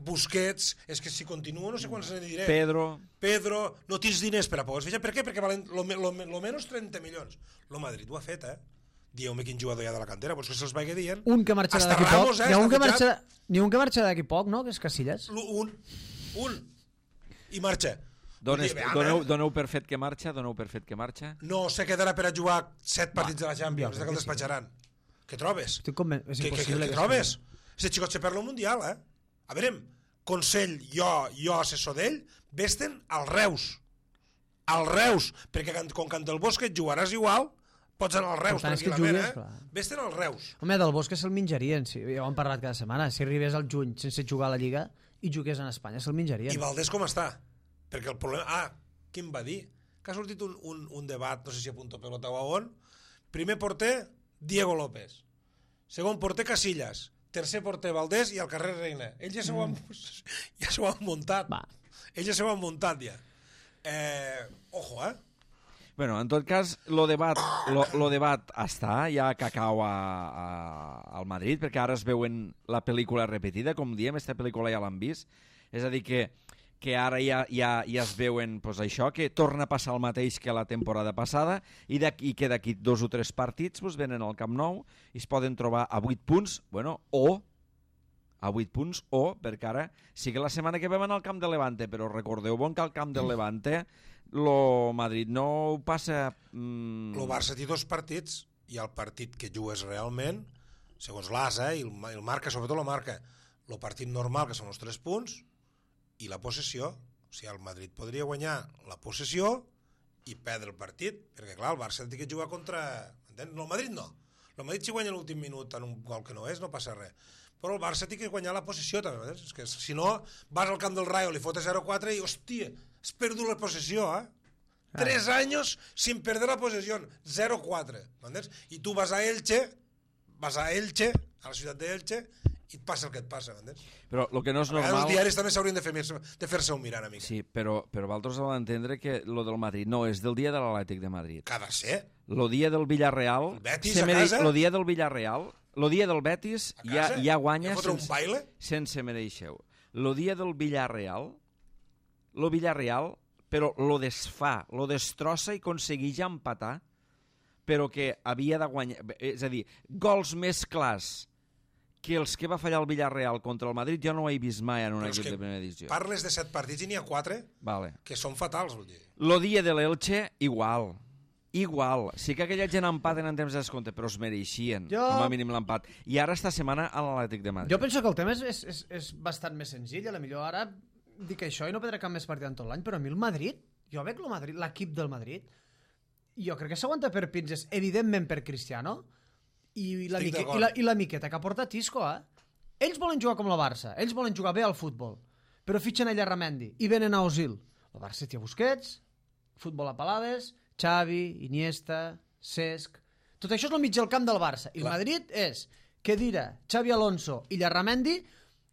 Speaker 2: Busquets, és que si continuo no sé quants ne diré.
Speaker 1: Pedro...
Speaker 2: Pedro, no tens diners per a poder fitxar. Per què? Perquè valen lo, me- lo, me- lo menys trenta milions. Lo Madrid ho ha fet, eh? Dieu-me quin jugador hi ha de la cantera, vols que se'ls vagi dient?
Speaker 3: Un que marxarà
Speaker 2: Hasta
Speaker 3: d'aquí poc.
Speaker 2: Ramos, eh,
Speaker 3: N'hi ha un
Speaker 2: està
Speaker 3: que
Speaker 2: fitxat.
Speaker 3: marxa, n'hi ha un que marxa d'aquí poc, no? Que és Casillas.
Speaker 2: L- Un, un, i marxa.
Speaker 1: Dones,
Speaker 2: Vull dir, veam,
Speaker 1: doneu,
Speaker 2: eh?
Speaker 1: doneu per fet que marxa, doneu per fet que marxa.
Speaker 2: No se quedarà per a jugar set partits de la Champions,
Speaker 3: jo
Speaker 2: de que el
Speaker 3: crec que sí.
Speaker 2: despatxaran. Què trobes?
Speaker 3: Estic conven... És
Speaker 2: Què, què, què,
Speaker 3: impossible.
Speaker 2: què
Speaker 3: que
Speaker 2: trobes?
Speaker 3: sigui.
Speaker 2: Este xicot se perd el Mundial, eh? A veure, Consell, jo, jo assessor d'ell, vesten al Reus. Al Reus, perquè can- com canta el Bosque jugaràs igual, pots anar al Reus
Speaker 3: tant és que
Speaker 2: tranquil·lament,
Speaker 3: jugues,
Speaker 2: eh?
Speaker 3: clar.
Speaker 2: Vesten al Reus.
Speaker 3: Home, del Bosque se'l menjarien, sí, ja ho hem parlat cada setmana. Si arribés al juny sense jugar a la Lliga i jugués en Espanya, se'l menjarien.
Speaker 2: I Valdés com està? Perquè el problema... Ah, qui em va dir? Que ha sortit un, un, un debat, no sé si a Punto Pelota o a on. Primer porter, Diego López. Segon porter, Casillas. Tercer porter, Valdés, i al carrer Reina. Ells ja s'ho han, ja s'ho han muntat.
Speaker 3: Va.
Speaker 2: Ells ja s'ho han muntat, ja. Eh, ojo, eh?
Speaker 1: Bueno, en tot cas, lo debat, lo, lo debat està, hi ha cacau a, a, al Madrid, perquè ara es veuen la pel·lícula repetida, com diem, aquesta pel·lícula ja l'han vist, és a dir que, que ara ja, ja, ja es veuen pues, això, que torna a passar el mateix que la temporada passada, i, i que d'aquí dos o tres partits pues, venen al Camp Nou i es poden trobar a vuit punts, bueno, o a vuit punts, o, perquè ara sí que la setmana que ve van al Camp de Levante, però recordeu bon que al Camp de Levante lo Madrid no ho passa... Mm...
Speaker 2: El Barça té dos partits, i el partit que jugues realment, segons l'A S, eh, i el, el marca, sobretot la marca, el partit normal, que són els tres punts, i la possessió. O sigui, el Madrid podria guanyar la possessió i perdre el partit, perquè clar, el Barça té que jugar contra... Entens? No, el Madrid no. El Madrid si guanya l'últim minut en un gol que no és, no passa res. Però el Barça té que guanyar la possessió també. Entens? És que si no, vas al camp del Rayo, li fotes zero quatre i, hòstia, has perdut la possessió, eh? Tres años sin perder la posesión, cero cuatro, ¿entiendes? Y tú vas a Elche, vas a Elche, a la ciutat d'Elche, i et passa el que et passa, m'entens?
Speaker 1: Però el que no és
Speaker 2: A vegades
Speaker 1: normal...
Speaker 2: els diaris també s'haurien de fer-se de fer-se un mirar, amic.
Speaker 1: Sí, però, però vosaltres heu d'entendre que lo del Madrid no, és del dia de l'Atlètic de Madrid.
Speaker 2: Que ha de ser.
Speaker 1: Lo dia del Villarreal...
Speaker 2: El Betis
Speaker 1: se
Speaker 2: a
Speaker 1: mere-
Speaker 2: casa?
Speaker 1: Lo dia del Villarreal... Lo dia del Betis
Speaker 2: A
Speaker 1: ja,
Speaker 2: casa?
Speaker 1: ja guanya
Speaker 2: Ja fotre un
Speaker 1: sense,
Speaker 2: baile?
Speaker 1: sense mereixeu. Lo dia del Villarreal... Lo Villarreal, però lo desfà, lo destrossa i aconsegueix empatar, però que havia de guanyar... És a dir, gols més clars que els que va fallar el Villarreal contra el Madrid jo no ho he vist mai en un
Speaker 2: Però és
Speaker 1: equip
Speaker 2: que
Speaker 1: de primera divisió.
Speaker 2: parles de set partits i n'hi ha quatre
Speaker 1: Vale.
Speaker 2: que són fatals, vull dir.
Speaker 1: Lo dia de l'Elche, igual. Igual. Sí que aquella gent empaten en temps de descompte, però es mereixien,
Speaker 3: Jo-
Speaker 1: com a mínim l'empat. I ara esta setmana a l'Atlètic de Madrid.
Speaker 3: Jo penso que el tema és, és, és, és bastant més senzill. A la millor ara dic això i no perdré cap més partit en tot l'any, però a mi el Madrid, jo veig el Madrid, l'equip del Madrid, jo crec que s'aguanta per pinces, evidentment per Cristiano, i la,
Speaker 2: Estic
Speaker 3: mique,
Speaker 2: d'acord.
Speaker 3: i, la, i la miqueta que ha portat Isco, eh? Ells volen jugar com la Barça, ells volen jugar bé al futbol, però fitxen a Llarramendi i venen a Osil. El Barça té Busquets, futbol a palades, Xavi, Iniesta, Cesc... Tot això és el mig del camp del Barça. I el
Speaker 2: Clar.
Speaker 3: Madrid és Khedira, Xavi Alonso i Llarramendi,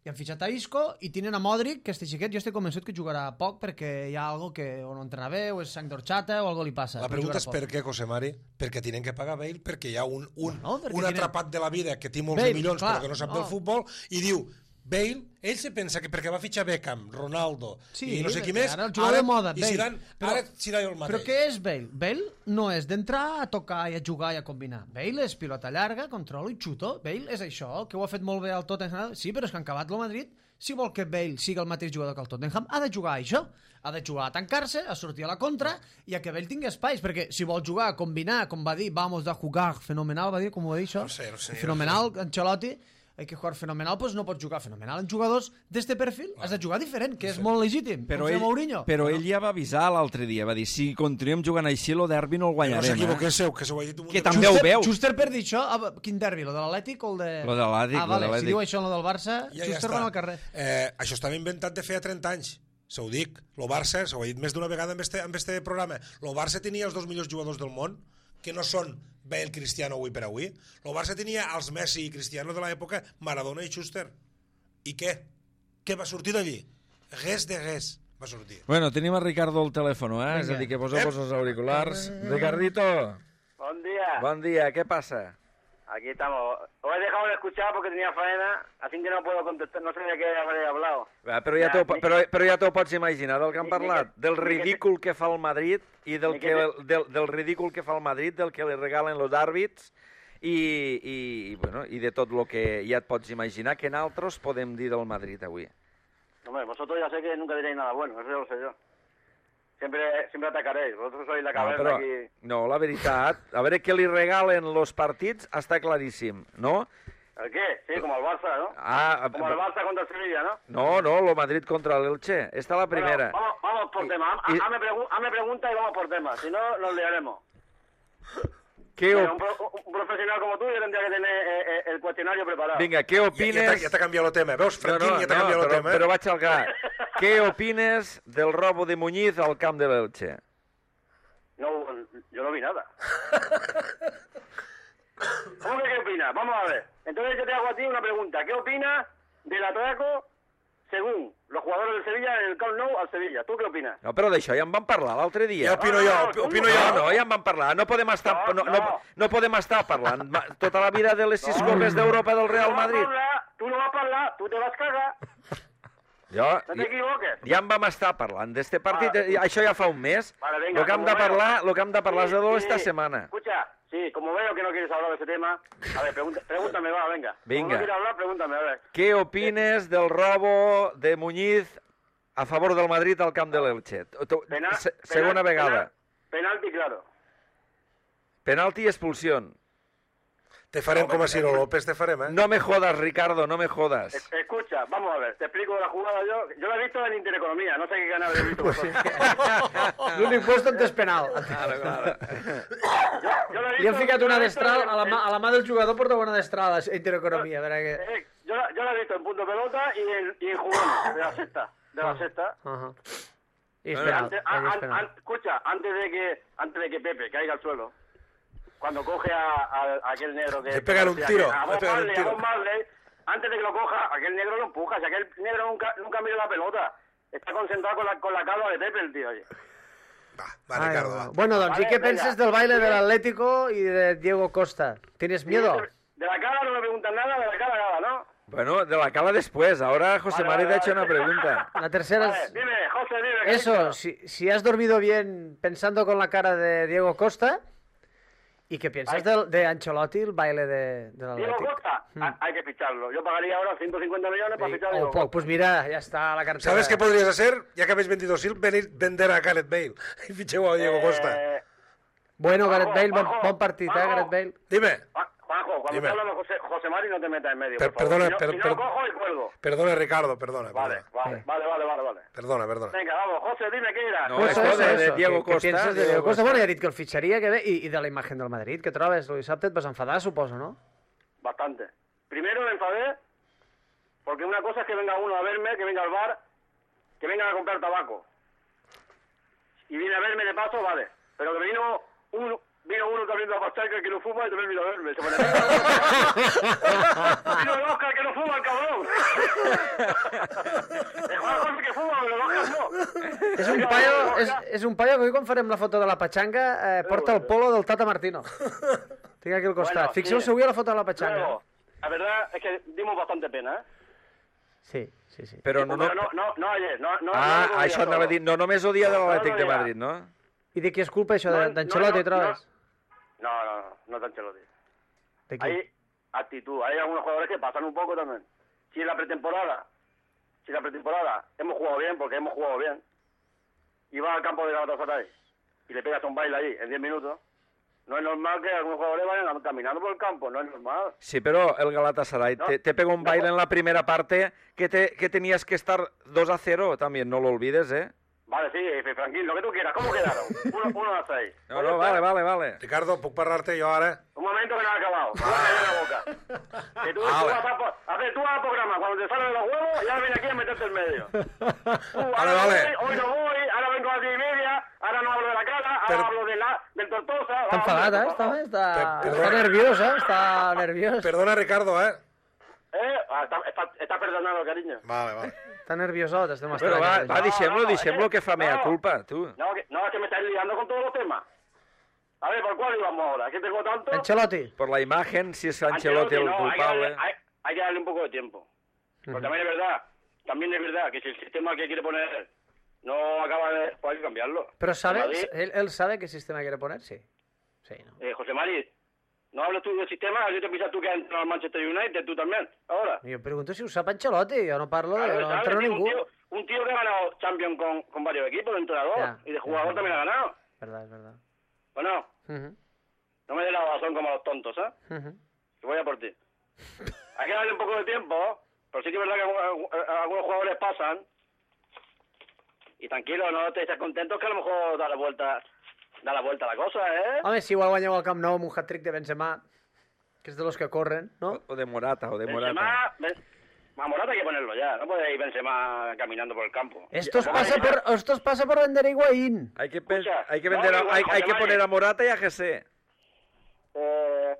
Speaker 3: i han fitxat a Isco i tenen a Modric, que este xiquet jo estic convençut que jugarà poc perquè hi ha algo que o no entrena bé o és sang d'orxata o algo li passa.
Speaker 2: La
Speaker 3: però
Speaker 2: pregunta
Speaker 3: jugarà
Speaker 2: és
Speaker 3: poc.
Speaker 2: per què, José Mari? Perquè tenen que pagar Bale, perquè hi ha un, un,
Speaker 3: No, perquè
Speaker 2: un
Speaker 3: tenen-
Speaker 2: atrapat de la vida que té molts
Speaker 3: Bale,
Speaker 2: de milions
Speaker 3: clar,
Speaker 2: però que no sap
Speaker 3: no.
Speaker 2: del futbol i diu, Bale, ell se pensa que perquè va fitxar Beckham, Ronaldo
Speaker 3: Sí,
Speaker 2: i no sé qui
Speaker 3: perquè
Speaker 2: més,
Speaker 3: ara el jugador de moda,
Speaker 2: i
Speaker 3: Bale.
Speaker 2: Zidane,
Speaker 3: Però-
Speaker 2: ara serà el mateix.
Speaker 3: Però què és Bale? Bale no és d'entrar a tocar i a jugar i a combinar. Bale és pilota llarga, control i xuto. Bale és això, que ho ha fet molt bé al Tottenham. Sí, però és que han acabat el Madrid. Si vol que Bale sigui el mateix jugador que el Tottenham, ha de jugar a això. Ha de jugar a tancar-se, a sortir a la contra i a que Bale tingui espais, perquè si vol jugar a combinar, com va dir, vamos a jugar fenomenal, va dir, com ho va dir això?
Speaker 2: No sé, no sé,
Speaker 3: Fenomenal, Ancelotti, hay que jugar fenomenal, doncs no pots jugar fenomenal. En jugadors d'este perfil has de jugar diferent, que és molt legítim.
Speaker 1: Però,
Speaker 3: com feia
Speaker 1: ell,
Speaker 3: Mourinho.
Speaker 1: però ell ja va avisar l'altre dia, va dir, si continuem jugant així, el derbi no el
Speaker 2: Que no
Speaker 1: guanyarem.
Speaker 2: s'equivoquéssiu, que s'ho ha dit un munt
Speaker 1: Que
Speaker 2: de
Speaker 1: també
Speaker 2: vegades.
Speaker 1: ho veu.
Speaker 3: Schuster per dir això, ah, quin derbi, lo de l'Atlètic o el de...
Speaker 1: Lo de l'Atlètic,
Speaker 3: Ah,
Speaker 1: lo
Speaker 3: vale,
Speaker 1: de l'Atlètic.
Speaker 3: si diu això, lo del Barça,
Speaker 2: Ja, ja
Speaker 3: Schuster
Speaker 2: està.
Speaker 3: va al carrer.
Speaker 2: Eh, això estava inventat de feia trenta anys. Se ho dic. Lo Barça, s'ho he dit més d'una vegada en este, en este programa, lo Barça tenia els dos millors jugadors del món, que no són Bale, Cristiano avui per avui. Lo Barça tenia els Messi i Cristiano de l'època, Maradona i Schuster. I què? Què va sortir d'allí? Res de res va sortir.
Speaker 1: Bueno, tenim a Ricardo al telèfon, eh?
Speaker 3: Vinga.
Speaker 1: És a dir, que poseu-vos els auriculars. Ricardito,
Speaker 5: Buen día.
Speaker 1: bon dia, què passa?
Speaker 5: Aquí estamos. Os he dejado de escuchar porque tenía faena, así que no puedo contestar. No sé de qué habré hablado.
Speaker 1: Va, però ja
Speaker 5: Ja,
Speaker 1: t'ho
Speaker 5: ni-
Speaker 1: però, però ja t'ho pots imaginar del que han
Speaker 5: Ni- ni
Speaker 1: parlat,
Speaker 5: que-
Speaker 1: del
Speaker 5: ni que-
Speaker 1: ridícul que fa el Madrid i del,
Speaker 5: ni
Speaker 1: que,
Speaker 5: que-
Speaker 1: del, del ridícul que fa el Madrid, del que li regalen els àrbits i, i, i, bueno, i de tot el que ja et pots imaginar que nosaltres podem dir del Madrid avui.
Speaker 5: Hombre, vosotros ya sé que nunca diréis nada bueno, eso ya lo sé yo. Siempre, siempre atacaréis. Vosotros sois la
Speaker 1: No,
Speaker 5: cabeza
Speaker 1: però,
Speaker 5: aquí.
Speaker 1: no, la veritat, a veure què li regalen els partits està claríssim, no?
Speaker 5: ¿El qué? Sí, como el Barça, ¿no?
Speaker 1: Ah,
Speaker 5: Como el Barça contra el Sevilla, ¿no?
Speaker 1: no, no, lo Madrid contra l'Elche. Esta es la primera.
Speaker 5: Bueno, vamos, vamos por
Speaker 1: Y-
Speaker 5: tema. Ha-
Speaker 1: y-
Speaker 5: Hazme, pregu- hazme pregunta y vamos por tema. Si no, nos liaremos.
Speaker 1: ¿Qué
Speaker 5: Bueno,
Speaker 1: op-
Speaker 5: un, pro- un profesional como tú ya tendría que tener eh, eh, el cuestionario preparado.
Speaker 1: Vinga, què
Speaker 2: Ja, ja
Speaker 1: opines...
Speaker 2: t'ha ja t'ha canviat el tema. Veus, Franquín, ja t'ha canviat el
Speaker 1: però,
Speaker 2: tema. Eh?
Speaker 1: però vaig al gra. Què opines del robo de Muñiz al camp de l'Elche?
Speaker 5: No, yo no vi nada. ¿Cómo que qué opinas? Vamos a ver. Entonces yo te hago a ti una pregunta. ¿Qué opinas del atraco según los jugadores del Sevilla en el Camp Nou al Sevilla? ¿Tú qué opinas?
Speaker 1: No, però d'això ja en vam parlar l'altre dia.
Speaker 2: Ja opino
Speaker 5: No,
Speaker 2: jo,
Speaker 5: no,
Speaker 2: op-
Speaker 5: tu
Speaker 2: opino
Speaker 1: No,
Speaker 2: jo.
Speaker 1: no, ja en vam parlar. No podem estar, no,
Speaker 5: No,
Speaker 1: no,
Speaker 5: no.
Speaker 1: no podem estar parlant ma- tota la vida de les sis copes d'Europa del Real Madrid.
Speaker 5: Tú no vas a hablar, tú te vas a cagar.
Speaker 1: Jo,
Speaker 5: No te equivoques.
Speaker 1: ja en vam estar parlant d'este partit,
Speaker 5: Vale.
Speaker 1: eh, això ja fa un mes.
Speaker 5: Vale, venga,
Speaker 1: Lo que hem
Speaker 5: como
Speaker 1: de
Speaker 5: veo-
Speaker 1: parlar, lo que hem de parlar és de
Speaker 5: Sí,
Speaker 1: esta
Speaker 5: sí.
Speaker 1: setmana.
Speaker 5: Escucha, sí, como veo que no quieres hablar de ese tema, a ver, pregunta- pregúntame, va, venga.
Speaker 1: Venga.
Speaker 5: Como no quieres hablar, pregúntame, a ver.
Speaker 1: Què opines del robo de Muñiz a favor del Madrid al camp de l'Elche? Tu-
Speaker 5: Penal-
Speaker 1: se-
Speaker 5: penal-
Speaker 1: Segona vegada.
Speaker 5: penal- penalti, claro.
Speaker 1: Penalti i expulsió.
Speaker 2: Te farem com a Ciro López, te farem, eh?
Speaker 1: No me jodas, Ricardo, no me jodas.
Speaker 5: Es- Escucha, vamos a ver, te explico la jugada yo. Yo la he visto en Intereconomía, no sé qué canal he visto vosotros.
Speaker 3: L'únic puesto on és penal.
Speaker 1: Claro, claro.
Speaker 5: Yo, yo la he
Speaker 3: Li han
Speaker 5: visto-
Speaker 3: ficat
Speaker 5: yo
Speaker 3: una
Speaker 5: la he visto
Speaker 3: destral,
Speaker 5: en-
Speaker 3: a la, mà, a la mà del jugador porta una destral a Intereconomia. A veure que...
Speaker 5: eh, yo, la, yo la he visto en punto pelota y en, y en jugones, de la sexta. De la sexta.
Speaker 3: Uh -huh.
Speaker 6: Y es penal.
Speaker 5: Antes,
Speaker 6: ahí es
Speaker 5: an-
Speaker 6: penal.
Speaker 5: an- escucha, antes de que antes de que Pepe caiga al suelo, cuando coge a, a- a aquel negro que...
Speaker 2: Le pegan un
Speaker 5: que-
Speaker 2: tiro,
Speaker 5: A
Speaker 2: le
Speaker 5: Bob
Speaker 2: pegan un
Speaker 5: Marley, a
Speaker 2: tiro.
Speaker 5: Bob Marley, antes de que lo coja, aquel negro lo empuja. Si aquel negro nunca, nunca mira la pelota. Está concentrado con la, con la calva de Pepe, el tío, oye.
Speaker 2: Va, va,
Speaker 6: Ai,
Speaker 2: Ricardo,
Speaker 6: va.
Speaker 2: va.
Speaker 6: Bueno, doncs,
Speaker 5: Vale,
Speaker 6: ¿y qué
Speaker 5: venga.
Speaker 6: piensas del baile del Atlético y de Diego Costa? ¿Tienes miedo?
Speaker 5: De, de la cara no me preguntan nada, de la cara nada, ¿no?
Speaker 1: Bueno, de la cala después. Ahora José
Speaker 5: Vale,
Speaker 1: Mari
Speaker 5: vale,
Speaker 1: te ha hecho
Speaker 5: vale.
Speaker 1: una pregunta.
Speaker 6: La tercera
Speaker 5: Vale,
Speaker 6: es...
Speaker 5: dime, José, dime. ¿qué
Speaker 6: Eso,
Speaker 5: dices?
Speaker 6: si, si has dormido bien pensando con la cara de Diego Costa, ¿y qué piensas
Speaker 5: Ay.
Speaker 6: del- de Ancelotti, el baile de, del
Speaker 5: Diego
Speaker 6: Atlético?
Speaker 5: Costa,
Speaker 6: Hmm.
Speaker 5: ah, hay que ficharlo. Yo pagaría ahora ciento cincuenta millones para fichar a Diego
Speaker 6: Oh, pues,
Speaker 5: Costa.
Speaker 6: pues mira, ya está la cartera.
Speaker 2: ¿Sabes qué podrías hacer? Ya que habéis vendido Sil, venir vender a Gareth Bale y ficheu a Diego Costa.
Speaker 5: Eh,
Speaker 6: Bueno,
Speaker 5: Juanjo,
Speaker 6: Gareth Bale, bon,
Speaker 5: Juanjo,
Speaker 6: bon partit, eh,
Speaker 5: Juanjo.
Speaker 6: Gareth Bale.
Speaker 2: Dime.
Speaker 5: Juan- Juanjo, cuando
Speaker 2: Dime.
Speaker 5: te hablando José, José Mari, no te metas en medio,
Speaker 2: Per-
Speaker 5: por favor.
Speaker 2: perdona,
Speaker 5: Si no,
Speaker 2: per-
Speaker 5: si no
Speaker 2: per-
Speaker 5: cojo y cuelgo.
Speaker 2: Perdona, Ricardo, perdona,
Speaker 5: Vale,
Speaker 2: perdona.
Speaker 5: vale, vale, vale, vale, vale.
Speaker 2: Perdona, perdona.
Speaker 5: Venga, vamos, José, dime qué era.
Speaker 1: No,
Speaker 6: Pues
Speaker 1: esto
Speaker 6: eso,
Speaker 1: de- de
Speaker 6: eso.
Speaker 1: Diego
Speaker 6: Què- què
Speaker 1: Costa,
Speaker 6: pienses de
Speaker 1: Diego
Speaker 6: Diego Costa?
Speaker 1: Costa.
Speaker 6: Bueno, ja he dit que el fitxaria, que bé, i, i de la imatge del Madrid. Què trobes? El dissabte et vas enfadar, suposo, no?
Speaker 5: Bastante. Primero me enfadé porque una cosa es que venga uno a verme, que venga al bar, que venga a comprar tabaco. Y viene a verme de paso, vale. Pero que vino uno, vino uno también de la pachanga que no fuma y también vino a verme. Se pone... Vino el Oscar que no fuma, el cabrón. El Juanjo sí que fuma, pero el Oscar no.
Speaker 6: És un paio, és, és un paio que avui quan farem la foto de la patxanga eh, porta el polo del Tata Martino. Tinc aquí al costat.
Speaker 5: Bueno,
Speaker 6: Fixeu-se
Speaker 5: sí.
Speaker 6: avui a la foto de la patxanga.
Speaker 5: Luego, la verdad es que dimos bastante pena, ¿eh?
Speaker 6: Sí, sí, sí.
Speaker 1: Però no, no...
Speaker 5: Pero no, no, no ayer, no, no,
Speaker 1: Ah,
Speaker 5: no, no,
Speaker 1: això anava a dir, no només odia de
Speaker 5: No, no
Speaker 1: l'Atlètic de
Speaker 5: odia.
Speaker 1: Madrid, no?
Speaker 6: I de qui és culpa això,
Speaker 5: No,
Speaker 6: de- d'Ancelotti,
Speaker 5: no, no,
Speaker 6: trobes?
Speaker 5: No, no, no, no tan Ancelotti.
Speaker 6: De qui?
Speaker 5: Hay actitud, hay algunos jugadores que pasan un poco también. Si en la pretemporada, si en la pretemporada hemos jugado bien, porque hemos jugado bien, y vas al campo de Galatasaray y le pegas un baile allí en diez minutos, no es normal que algunos jugadores vayan caminando por el campo, no es normal.
Speaker 1: Sí, però el Galatasaray
Speaker 5: No,
Speaker 1: te, te pegó un
Speaker 5: no,
Speaker 1: baile en la primera parte que, te, que tenías que estar dos a cero, también, no lo olvides, ¿eh?
Speaker 5: Vale, sí, tranquilo, lo que tú quieras, ¿cómo quedaron? Uno, uno a seis.
Speaker 1: No, no, vale, vale, vale.
Speaker 2: Ricardo, puc parlar-te jo ara?
Speaker 5: Un momento que no ha acabado. No me cayó la boca. Que tú, tú
Speaker 2: Vale.
Speaker 5: vas a, po- a ver, tú vas al programa, cuando te salen los huevos, ya viene aquí a meterte en medio. Tú, ahora
Speaker 2: Vale, vale.
Speaker 5: voy, hoy no voy, ahora vengo a las diez y media, ahora no hablo de la cara, ahora
Speaker 2: Per-
Speaker 5: hablo de la, del Tortosa.
Speaker 6: Està
Speaker 5: vamos,
Speaker 6: enfadat, eh?
Speaker 5: por
Speaker 6: Està,
Speaker 5: favor.
Speaker 6: està,
Speaker 2: Per-
Speaker 6: està
Speaker 2: perdona.
Speaker 6: nerviós, eh? Està nerviós.
Speaker 2: Perdona, Ricardo, eh?
Speaker 5: Eh? Ah, está, está, está perdonado, cariño.
Speaker 2: Vale, vale.
Speaker 6: Està nerviosot, estem
Speaker 1: Però va,
Speaker 6: estranyats.
Speaker 1: va, deixem-lo,
Speaker 5: No, no,
Speaker 1: deixem-lo
Speaker 5: eh,
Speaker 1: que fa mea
Speaker 5: no.
Speaker 1: culpa, tu.
Speaker 5: No, que, no, es que me estáis liando con todos los temas. A ver, ¿por cuál íbamos ahora? Es que tengo tanto...
Speaker 6: Ancelotti.
Speaker 1: Por la imagen, si es Ancelotti el
Speaker 5: no, hay que,
Speaker 1: culpable.
Speaker 5: darle, hay, hay que darle un poco de tiempo. Pero también es verdad, también es verdad que si el sistema que quiere poner él no acaba de... Pues hay que cambiarlo.
Speaker 6: Però sabe,
Speaker 5: Madrid,
Speaker 6: él, él sabe qué sistema quiere poner, sí. Sí, ¿no?
Speaker 5: eh, José Mari, no hables tú del sistema, yo te piensas tú que has entrado al Manchester United, tú también, ahora.
Speaker 6: Jo pregunto si ho sap Ancelotti, jo no parlo de...
Speaker 5: Claro,
Speaker 6: no
Speaker 5: ¿sabes?
Speaker 6: entreno
Speaker 5: Tío,
Speaker 6: ningú.
Speaker 5: Un tío, un tío que ha ganado Champions con, con varios equipos de entrenador
Speaker 6: Ya,
Speaker 5: y de
Speaker 6: ya,
Speaker 5: jugador
Speaker 6: ya.
Speaker 5: también ha ganado.
Speaker 6: Verdad, es verdad.
Speaker 5: Bueno,
Speaker 6: Ujú,
Speaker 5: no me des la razón como a los tontos, ¿eh?
Speaker 6: ujú.
Speaker 5: Que voy a por ti. Hay que darle un poco de tiempo, pero sí que es verdad que algu- algu- algunos jugadores pasan. Y tranquilo, no te estés contentos que a lo mejor da la vuelta, da la vuelta a la cosa, ¿eh?
Speaker 6: Home, si igual guanyeu al Camp Nou amb un hat-trick de Benzema, que és de los que corren, no?
Speaker 1: O, o de Morata, o de Morata.
Speaker 5: Benzema, Ben- a Morata hay que ponerlo ya, no puede ir Benzema caminando por el campo.
Speaker 6: Estos
Speaker 5: Ya,
Speaker 6: pasa
Speaker 5: ya.
Speaker 6: por, estos pasa por vender a Higuaín.
Speaker 1: Hay que, pen-
Speaker 5: Escucha,
Speaker 1: hay que,
Speaker 5: no,
Speaker 1: vender a-
Speaker 5: igual,
Speaker 1: hay, hay que
Speaker 5: José
Speaker 1: poner
Speaker 5: Mari.
Speaker 1: a Morata y a G C.
Speaker 5: Eh,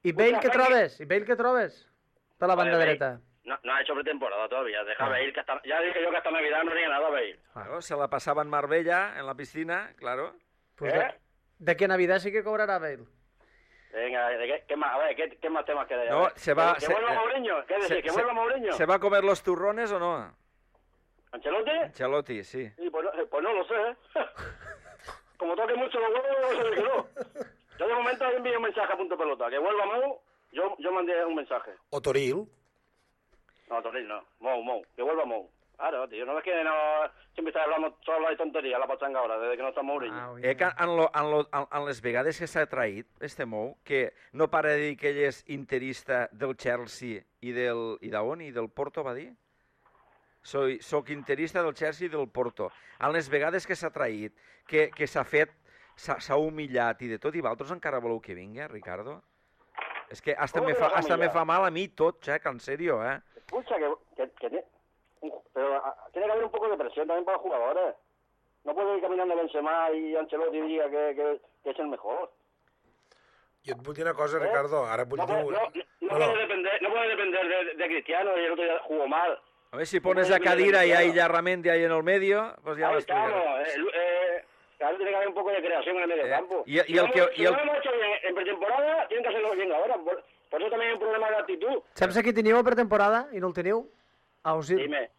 Speaker 6: I Bale, què
Speaker 5: Franqui.
Speaker 6: trobes? I Bale, què trobes? De la banda
Speaker 5: Bale.
Speaker 6: dreta.
Speaker 5: no, no ha hecho pretemporada todavía, deja
Speaker 6: Ah.
Speaker 5: Bale, que hasta, ya dije yo que hasta Navidad no haría nada Bale.
Speaker 1: Claro, se la pasaba en Marbella, en la piscina, claro.
Speaker 6: Pues
Speaker 5: ¿Eh?
Speaker 6: de, de que Navidad sí que cobrará Bale.
Speaker 5: Venga, ¿de qué, qué más? A ver, ¿qué, qué más temas queréis? A
Speaker 1: No,
Speaker 5: ver.
Speaker 1: se va-
Speaker 5: ¿Que,
Speaker 1: se-
Speaker 5: que vuelva
Speaker 1: eh,
Speaker 5: Mourinho? ¿Qué decís?
Speaker 1: Se,
Speaker 5: ¿Que
Speaker 1: se-
Speaker 5: vuelva Mourinho?
Speaker 1: ¿se va a comer los turrones o no?
Speaker 5: ¿Ancelotti?
Speaker 1: Ancelotti, sí.
Speaker 5: Sí, pues, no, pues no lo sé, ¿eh? Como toque mucho los huevos, no sé de qué no. Yo de momento envío un mensaje a punto pelota. Que vuelva Mou, yo, yo mandé un mensaje.
Speaker 2: O Toril.
Speaker 5: No, Toril no. Mou, Mou. Que vuelva Mou. Claro, tío. No es que no... Siempre estás hablando, solo hablas de tonterías, la pachanga ahora, desde que no está Mourinho.
Speaker 6: Ah, ui.
Speaker 1: Eh, que en, lo, en, lo, en, en les vegades que s'ha traït, este Mou, que no para de dir que ell és interista del Chelsea i del... i d'on? I del Porto, va dir? Soy, soc interista del Chelsea i del Porto. En les vegades que s'ha traït, que, que s'ha fet, s'ha s'ha humillat i de tot, i vosaltres encara voleu que vingui, Ricardo? És que hasta,
Speaker 5: Com
Speaker 1: me
Speaker 5: que
Speaker 1: fa,
Speaker 5: l'has
Speaker 1: hasta me
Speaker 5: humillat?
Speaker 1: fa mal a mi tot, Jack, en sèrio, eh?
Speaker 5: Escucha, que... que, que te- un- pero a, tiene que haber un poco de presión también para los jugadores. No puede ir caminando Benzema y Ancelotti diga que, que, que es el mejor.
Speaker 2: Jo et vull dir una cosa, ¿Eh? Ricardo, ara vull
Speaker 5: no,
Speaker 2: dir...
Speaker 5: No, no, no, no, puede depender, no puede depender de, de Cristiano y el otro día jugó mal.
Speaker 1: A ver si pones a Kadira y hay Yarramendi ahí en el medio, pues ya
Speaker 5: ahí
Speaker 1: lo
Speaker 5: estamos,
Speaker 1: explicaré.
Speaker 5: eh, eh, claro, tiene que haber un poco de creación en el medio
Speaker 1: Eh,
Speaker 5: campo.
Speaker 1: y- y
Speaker 5: si
Speaker 1: el
Speaker 5: no,
Speaker 1: que-
Speaker 5: si
Speaker 1: y el-
Speaker 5: no lo hemos hecho bien en pretemporada, tienen que hacerlo bien ahora. Por, por eso también hay un problema de actitud.
Speaker 6: Saps a qui teniu a pretemporada i no el teniu? A Osil.
Speaker 5: Dime.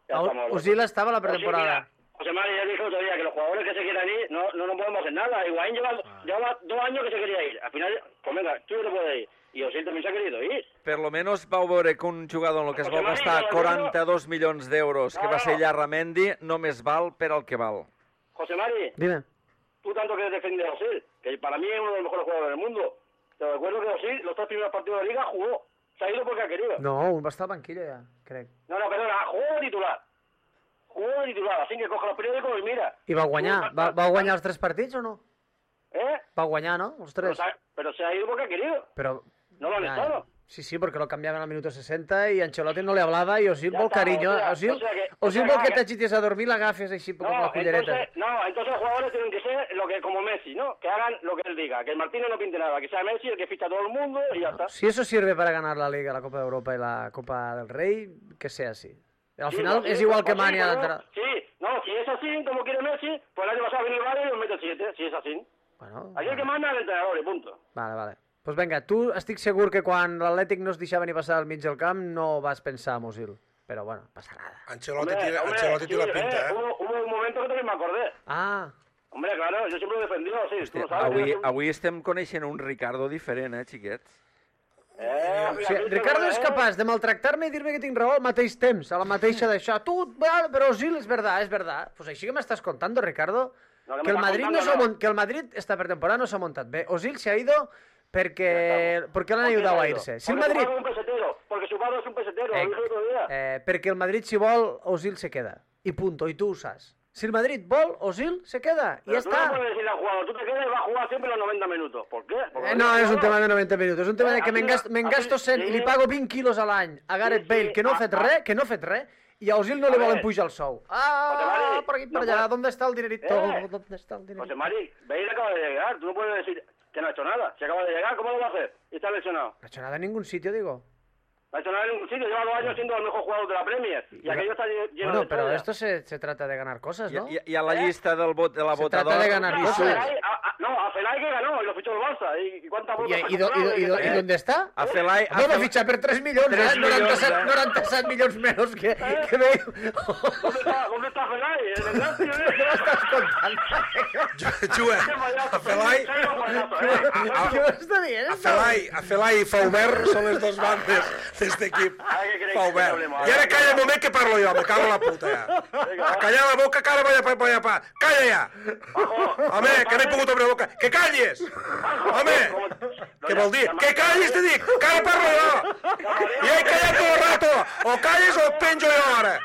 Speaker 5: Ya
Speaker 6: A
Speaker 5: estamos,
Speaker 6: Osil estava a la
Speaker 5: Osil,
Speaker 6: pretemporada.
Speaker 5: mira, José María ya dijo otro día que los jugadores que se quieran ir no, no, no podemos hacer nada. Higuaín lleva, lleva dos años que se quería ir. Al final, pues venga, tú no te puedes ir. Y Osil también se ha querido ir.
Speaker 1: Per lo menos vau veure que un jugador en el que es va
Speaker 5: José María,
Speaker 1: gastar
Speaker 5: no, no,
Speaker 1: quaranta-dos milions d'euros, que
Speaker 5: No,
Speaker 1: va ser
Speaker 5: no.
Speaker 1: Yarramendi, només val per al que val.
Speaker 5: José Mari,
Speaker 6: Dime.
Speaker 5: tú tanto que defender a Osil, que para mí es uno de los mejores jugadores del mundo. Te recuerdo que Osil, los tres primeros partidos de la liga, jugó. Se ha ido porque ha querido.
Speaker 6: No, un va estar al banquillo ja, crec.
Speaker 5: No, no, perdona, jugó de titular. Jugó de titular, así que coge los periódicos y mira.
Speaker 6: I va guanyar. Va, va guanyar els tres partits o no?
Speaker 5: ¿Eh?
Speaker 6: Va guanyar, no? Els
Speaker 5: Pero
Speaker 6: tres.
Speaker 5: se, ha, pero se ha ido porque ha querido.
Speaker 6: Pero...
Speaker 5: No lo han
Speaker 6: Ya,
Speaker 5: estado.
Speaker 6: Sí, sí, porque lo cambiaban al minuto sesenta y Ancelotti no le hablaba y Osil
Speaker 5: Ya
Speaker 6: vol
Speaker 5: está,
Speaker 6: cariño.
Speaker 5: o sea,
Speaker 6: Osil,
Speaker 5: o sea que- o
Speaker 6: Osil
Speaker 5: sea
Speaker 6: vol que
Speaker 5: que-
Speaker 6: t'agitis a dormir, l'agafes així com
Speaker 5: No,
Speaker 6: la cullereta.
Speaker 5: entonces, no, entonces los jugadores tienen que ser lo que como Messi, ¿no? Que hagan lo que él diga. Que el Martínez no pinte nada. Que sea Messi el que ficha a todo el mundo y ya está.
Speaker 6: Si eso sirve para ganar la Liga, la Copa de Europa y la Copa del Rey, que sea así. Al
Speaker 5: Sí,
Speaker 6: final
Speaker 5: no,
Speaker 6: es
Speaker 5: sí,
Speaker 6: igual
Speaker 5: pues
Speaker 6: que
Speaker 5: sí,
Speaker 6: Mani a
Speaker 5: pues
Speaker 6: la
Speaker 5: no.
Speaker 6: entrada.
Speaker 5: Sí, no, si es así, como quiere Messi, pues el año pasado viene el Valle y nos mete siete, si es así.
Speaker 6: Bueno,
Speaker 5: Aquí el que manda es el entrenador y punto.
Speaker 6: vale, vale. Pues venga, tu estic segur que quan l'Atlètic no es deixava ni passar al mig del camp no vas pensar en Osil. Però bueno, passa nada.
Speaker 2: Ancelotti,
Speaker 5: Hombre,
Speaker 2: tiene,
Speaker 5: hombre,
Speaker 2: Ancelotti
Speaker 5: sí,
Speaker 2: tiene la pinta,
Speaker 5: eh,
Speaker 2: ¿eh?
Speaker 5: Hubo, hubo un momento que también me acordé.
Speaker 6: Ah,
Speaker 5: Hombre, claro, yo siempre lo he defendido, sí, tú
Speaker 1: Hòstia,
Speaker 5: lo sabes.
Speaker 1: avui,
Speaker 5: yo-
Speaker 1: avui estem coneixent un Ricardo diferent, eh, xiquets?
Speaker 5: Eh,
Speaker 6: o sigui, Ricardo és
Speaker 5: eh?
Speaker 6: capaç de maltractar-me i dir-me que tinc raó al mateix temps, a la mateixa d'això. Tu, vale, però Osil, és verdad, és verdad. Pues així que m'estàs contando, Ricardo,
Speaker 5: No, que
Speaker 6: que el
Speaker 5: m'estàs
Speaker 6: Madrid no
Speaker 5: contando,
Speaker 6: s'ha
Speaker 5: no.
Speaker 6: mon- que el Madrid esta pretemporada no s'ha montat bé. Osil se ha ido perquè, perquè l'han
Speaker 5: ¿Por qué
Speaker 6: ayudado
Speaker 5: se
Speaker 6: a
Speaker 5: ha ido?
Speaker 6: irse. Si el
Speaker 5: Porque su
Speaker 6: Madrid...
Speaker 5: padre es un pesetero, porque su padre es un pesetero,
Speaker 6: Eh,
Speaker 5: lo dije el otro día.
Speaker 6: eh, perquè el Madrid, si vol, Osil se queda. I punto, i tu ho saps. Si el Madrid vol, Osil se queda. I
Speaker 5: Pero
Speaker 6: ja
Speaker 5: tú no
Speaker 6: està.
Speaker 5: puedes decirle al jugador, tú te quedas y vas a jugar siempre los noventa minutos. ¿Por qué? Porque
Speaker 6: Eh, no, és un
Speaker 5: jugador-
Speaker 6: tema de noventa minuts. És un tema de que
Speaker 5: Eh,
Speaker 6: me'n
Speaker 5: así-
Speaker 6: gasto, me'n
Speaker 5: así-
Speaker 6: gasto cent i li
Speaker 5: sí.
Speaker 6: pago vint quilos a l'any a Gareth
Speaker 5: Sí,
Speaker 6: Bale, que no ha
Speaker 5: ah,
Speaker 6: fet
Speaker 5: ah.
Speaker 6: res, que no ha fet res, i a Osil no li
Speaker 5: A
Speaker 6: volen
Speaker 5: ver.
Speaker 6: pujar el sou. Ah,
Speaker 5: José
Speaker 6: por aquí,
Speaker 5: Mari,
Speaker 6: por
Speaker 5: no
Speaker 6: allá.
Speaker 5: puede-
Speaker 6: ¿Dónde está el dinerito?
Speaker 5: Eh.
Speaker 6: ¿Dónde está el
Speaker 5: José
Speaker 6: dinerito?
Speaker 5: Mari, Bale acaba de llegar, tú no puedes decir que no ha hecho nada. Si acaba de llegar, ¿cómo lo va a hacer? Y está lesionado.
Speaker 6: No ha hecho nada en ningún sitio, digo.
Speaker 5: No ha hecho nada en ningún sitio, lleva dos años siendo el mejor jugador de la Premier. Y aquello está lle- lleno
Speaker 6: Bueno,
Speaker 5: de
Speaker 6: pero
Speaker 5: estrellas.
Speaker 6: esto se, se trata de ganar cosas,
Speaker 1: I,
Speaker 6: ¿no?
Speaker 1: i, i a la
Speaker 5: Eh?
Speaker 1: llista del vot, de la
Speaker 6: Se
Speaker 1: votadora...
Speaker 6: trata de ganar
Speaker 5: No, a
Speaker 6: cosas.
Speaker 5: Felay- a- a- no, a Felay que ganó y lo fichó el Barça. ¿Y, y cuántas
Speaker 6: ¿Y,
Speaker 5: votos ha
Speaker 6: y, do- y,
Speaker 5: comprado?
Speaker 6: do- y, do- ¿y dónde está?
Speaker 1: A Felai... a
Speaker 6: No, me
Speaker 1: Felai-
Speaker 6: ficha per tres milions,
Speaker 1: tres
Speaker 6: eh? noranta-set,
Speaker 1: milions, eh?
Speaker 6: noranta-set milions menys que, que me...
Speaker 5: ¿Dónde está, ¿Dónde está Felay? En el Lazio,
Speaker 6: Què
Speaker 5: ¿eh?
Speaker 6: m'estàs contant?
Speaker 2: Juga
Speaker 5: Qué payaso,
Speaker 2: a Felai,
Speaker 5: qué payaso, ¿eh?
Speaker 6: Què m'està dient?
Speaker 2: a Felai, a Felai i Faubert són les dos bandes d'aquest equip.
Speaker 5: Ara què creus que
Speaker 2: Faubert.
Speaker 5: hablemos?
Speaker 2: I ara calla un moment que parlo jo, me cago en la puta ja. A callar la boca, que ara vaig a pa, vaig a pa. Calla ja! Home, que no he pogut obrir la boca. Que calles! Home! Què vol dir? Que callis, te dic! Que ara parlo jo! I he callat tot el rato! O calles o et penjo jo ara!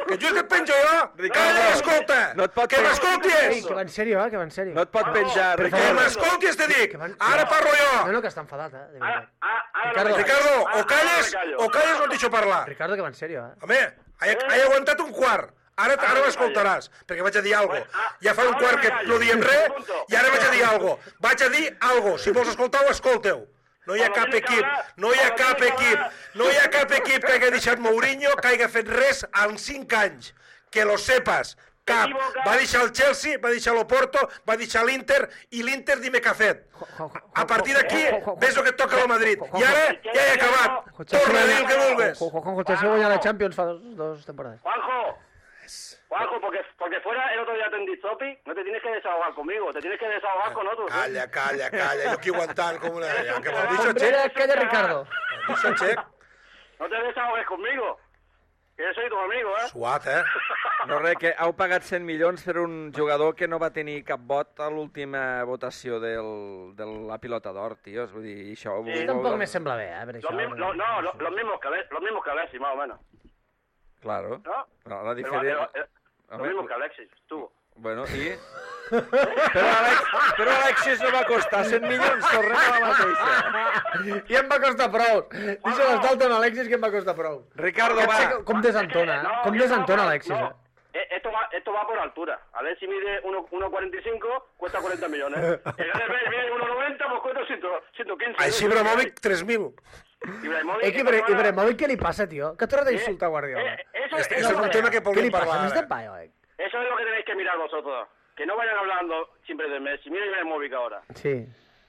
Speaker 2: Que jo que et penjo jo! Calla, escolta!
Speaker 1: No et pot
Speaker 6: Ei,
Speaker 2: Que m'escoltis!
Speaker 6: que va en sèrio, eh? Que va en sèrio.
Speaker 1: No et pot penjar,
Speaker 2: Que
Speaker 1: Ricardo.
Speaker 2: m'escoltis, te dic!
Speaker 6: van-
Speaker 2: Ara parlo
Speaker 6: No,
Speaker 2: jo!
Speaker 6: no, que està enfadat, eh? De
Speaker 5: Ara,
Speaker 6: veritat.
Speaker 5: ara, ara
Speaker 6: Ricardo.
Speaker 5: no me callo.
Speaker 2: Ricardo,
Speaker 5: Ara-
Speaker 2: o calles,
Speaker 5: ara me callo.
Speaker 2: o calles o et deixo parlar.
Speaker 6: Ricardo, que va en sèrio, eh?
Speaker 2: Home, he, he aguantat un quart. Ara, ara m'escoltaràs, perquè vaig a dir alguna cosa. Ja fa un quart que no diem res, i ara vaig a dir alguna cosa. Vaig a dir alguna cosa. Si vols escoltar-ho, escolteu. No hi ha cap equip, no hi ha cap equip, no hi ha cap equip que hagi deixat Mourinho, que hagi fet res en cinc anys. Que lo sepas. Cap. Va deixar el Chelsea, va deixar l'Oporto, va deixar l'Inter, i l'Inter dime què ha fet. A partir d'aquí, ves el que et toca al Madrid. I ara ja he acabat. Torna a dir el que vulgues.
Speaker 6: Juanjo, Chelsea guanyar la Champions fa dos, dos temporades.
Speaker 5: Juanjo, Juanjo, porque, porque fuera el otro día te Zopi, no te tienes que desahogar conmigo, te tienes que desahogar con otros. ¿eh?
Speaker 2: Calla, calla, calla. Jo aquí aguantant com una... Ja, que m'ho deixo,
Speaker 6: Hombre,
Speaker 2: Xec.
Speaker 6: calla, Ricardo.
Speaker 2: M'ho deixo, Xec.
Speaker 5: No te desahogues conmigo, que yo soy tu amigo, ¿eh?
Speaker 2: Suat, eh?
Speaker 1: No, res, que heu pagat cent milions per un jugador que no va tenir cap vot a l'última votació del, de la pilota d'or, tios. Vull dir, això...
Speaker 5: Sí,
Speaker 6: Sí, tampoc me sembla bé, eh, per
Speaker 5: Los
Speaker 6: això.
Speaker 5: mismos, lo- no, lo- los mismos que Alexis, los mismos que Alexis, más o menos,
Speaker 1: Claro.
Speaker 5: ¿no?
Speaker 1: La, la
Speaker 5: Pero,
Speaker 1: diferència...
Speaker 5: eh, eh, Los mismos que Alexis, tú.
Speaker 1: Bueno, i... Però, Alex, però Alexis no va costar cent milions, tornem a la mateixa.
Speaker 3: I em va costar prou. Deixa l'estar amb Alexis, que em va costar prou.
Speaker 1: Ricardo, va.
Speaker 3: Com desentona, eh? Com desentona Alexis, eh?
Speaker 5: Esto va, esto va por altura. A ver si mide uno cuarenta y cinco, cuesta cuarenta millones. El Gareth mide uno noventa, pues cuesta ciento quince.
Speaker 2: Així Ibrahimovic, tres mil.
Speaker 3: Eh, que Ibrahimovic, què li passa, tío? Que t'hora d'insultar Guardiola.
Speaker 2: Este és un tema que podem parlar.
Speaker 3: Què li passa?
Speaker 5: Eso es lo que tenéis que mirar vosotros. Que no vayan hablando siempre de Messi. Mira Ibrahimovic ahora.
Speaker 3: Sí,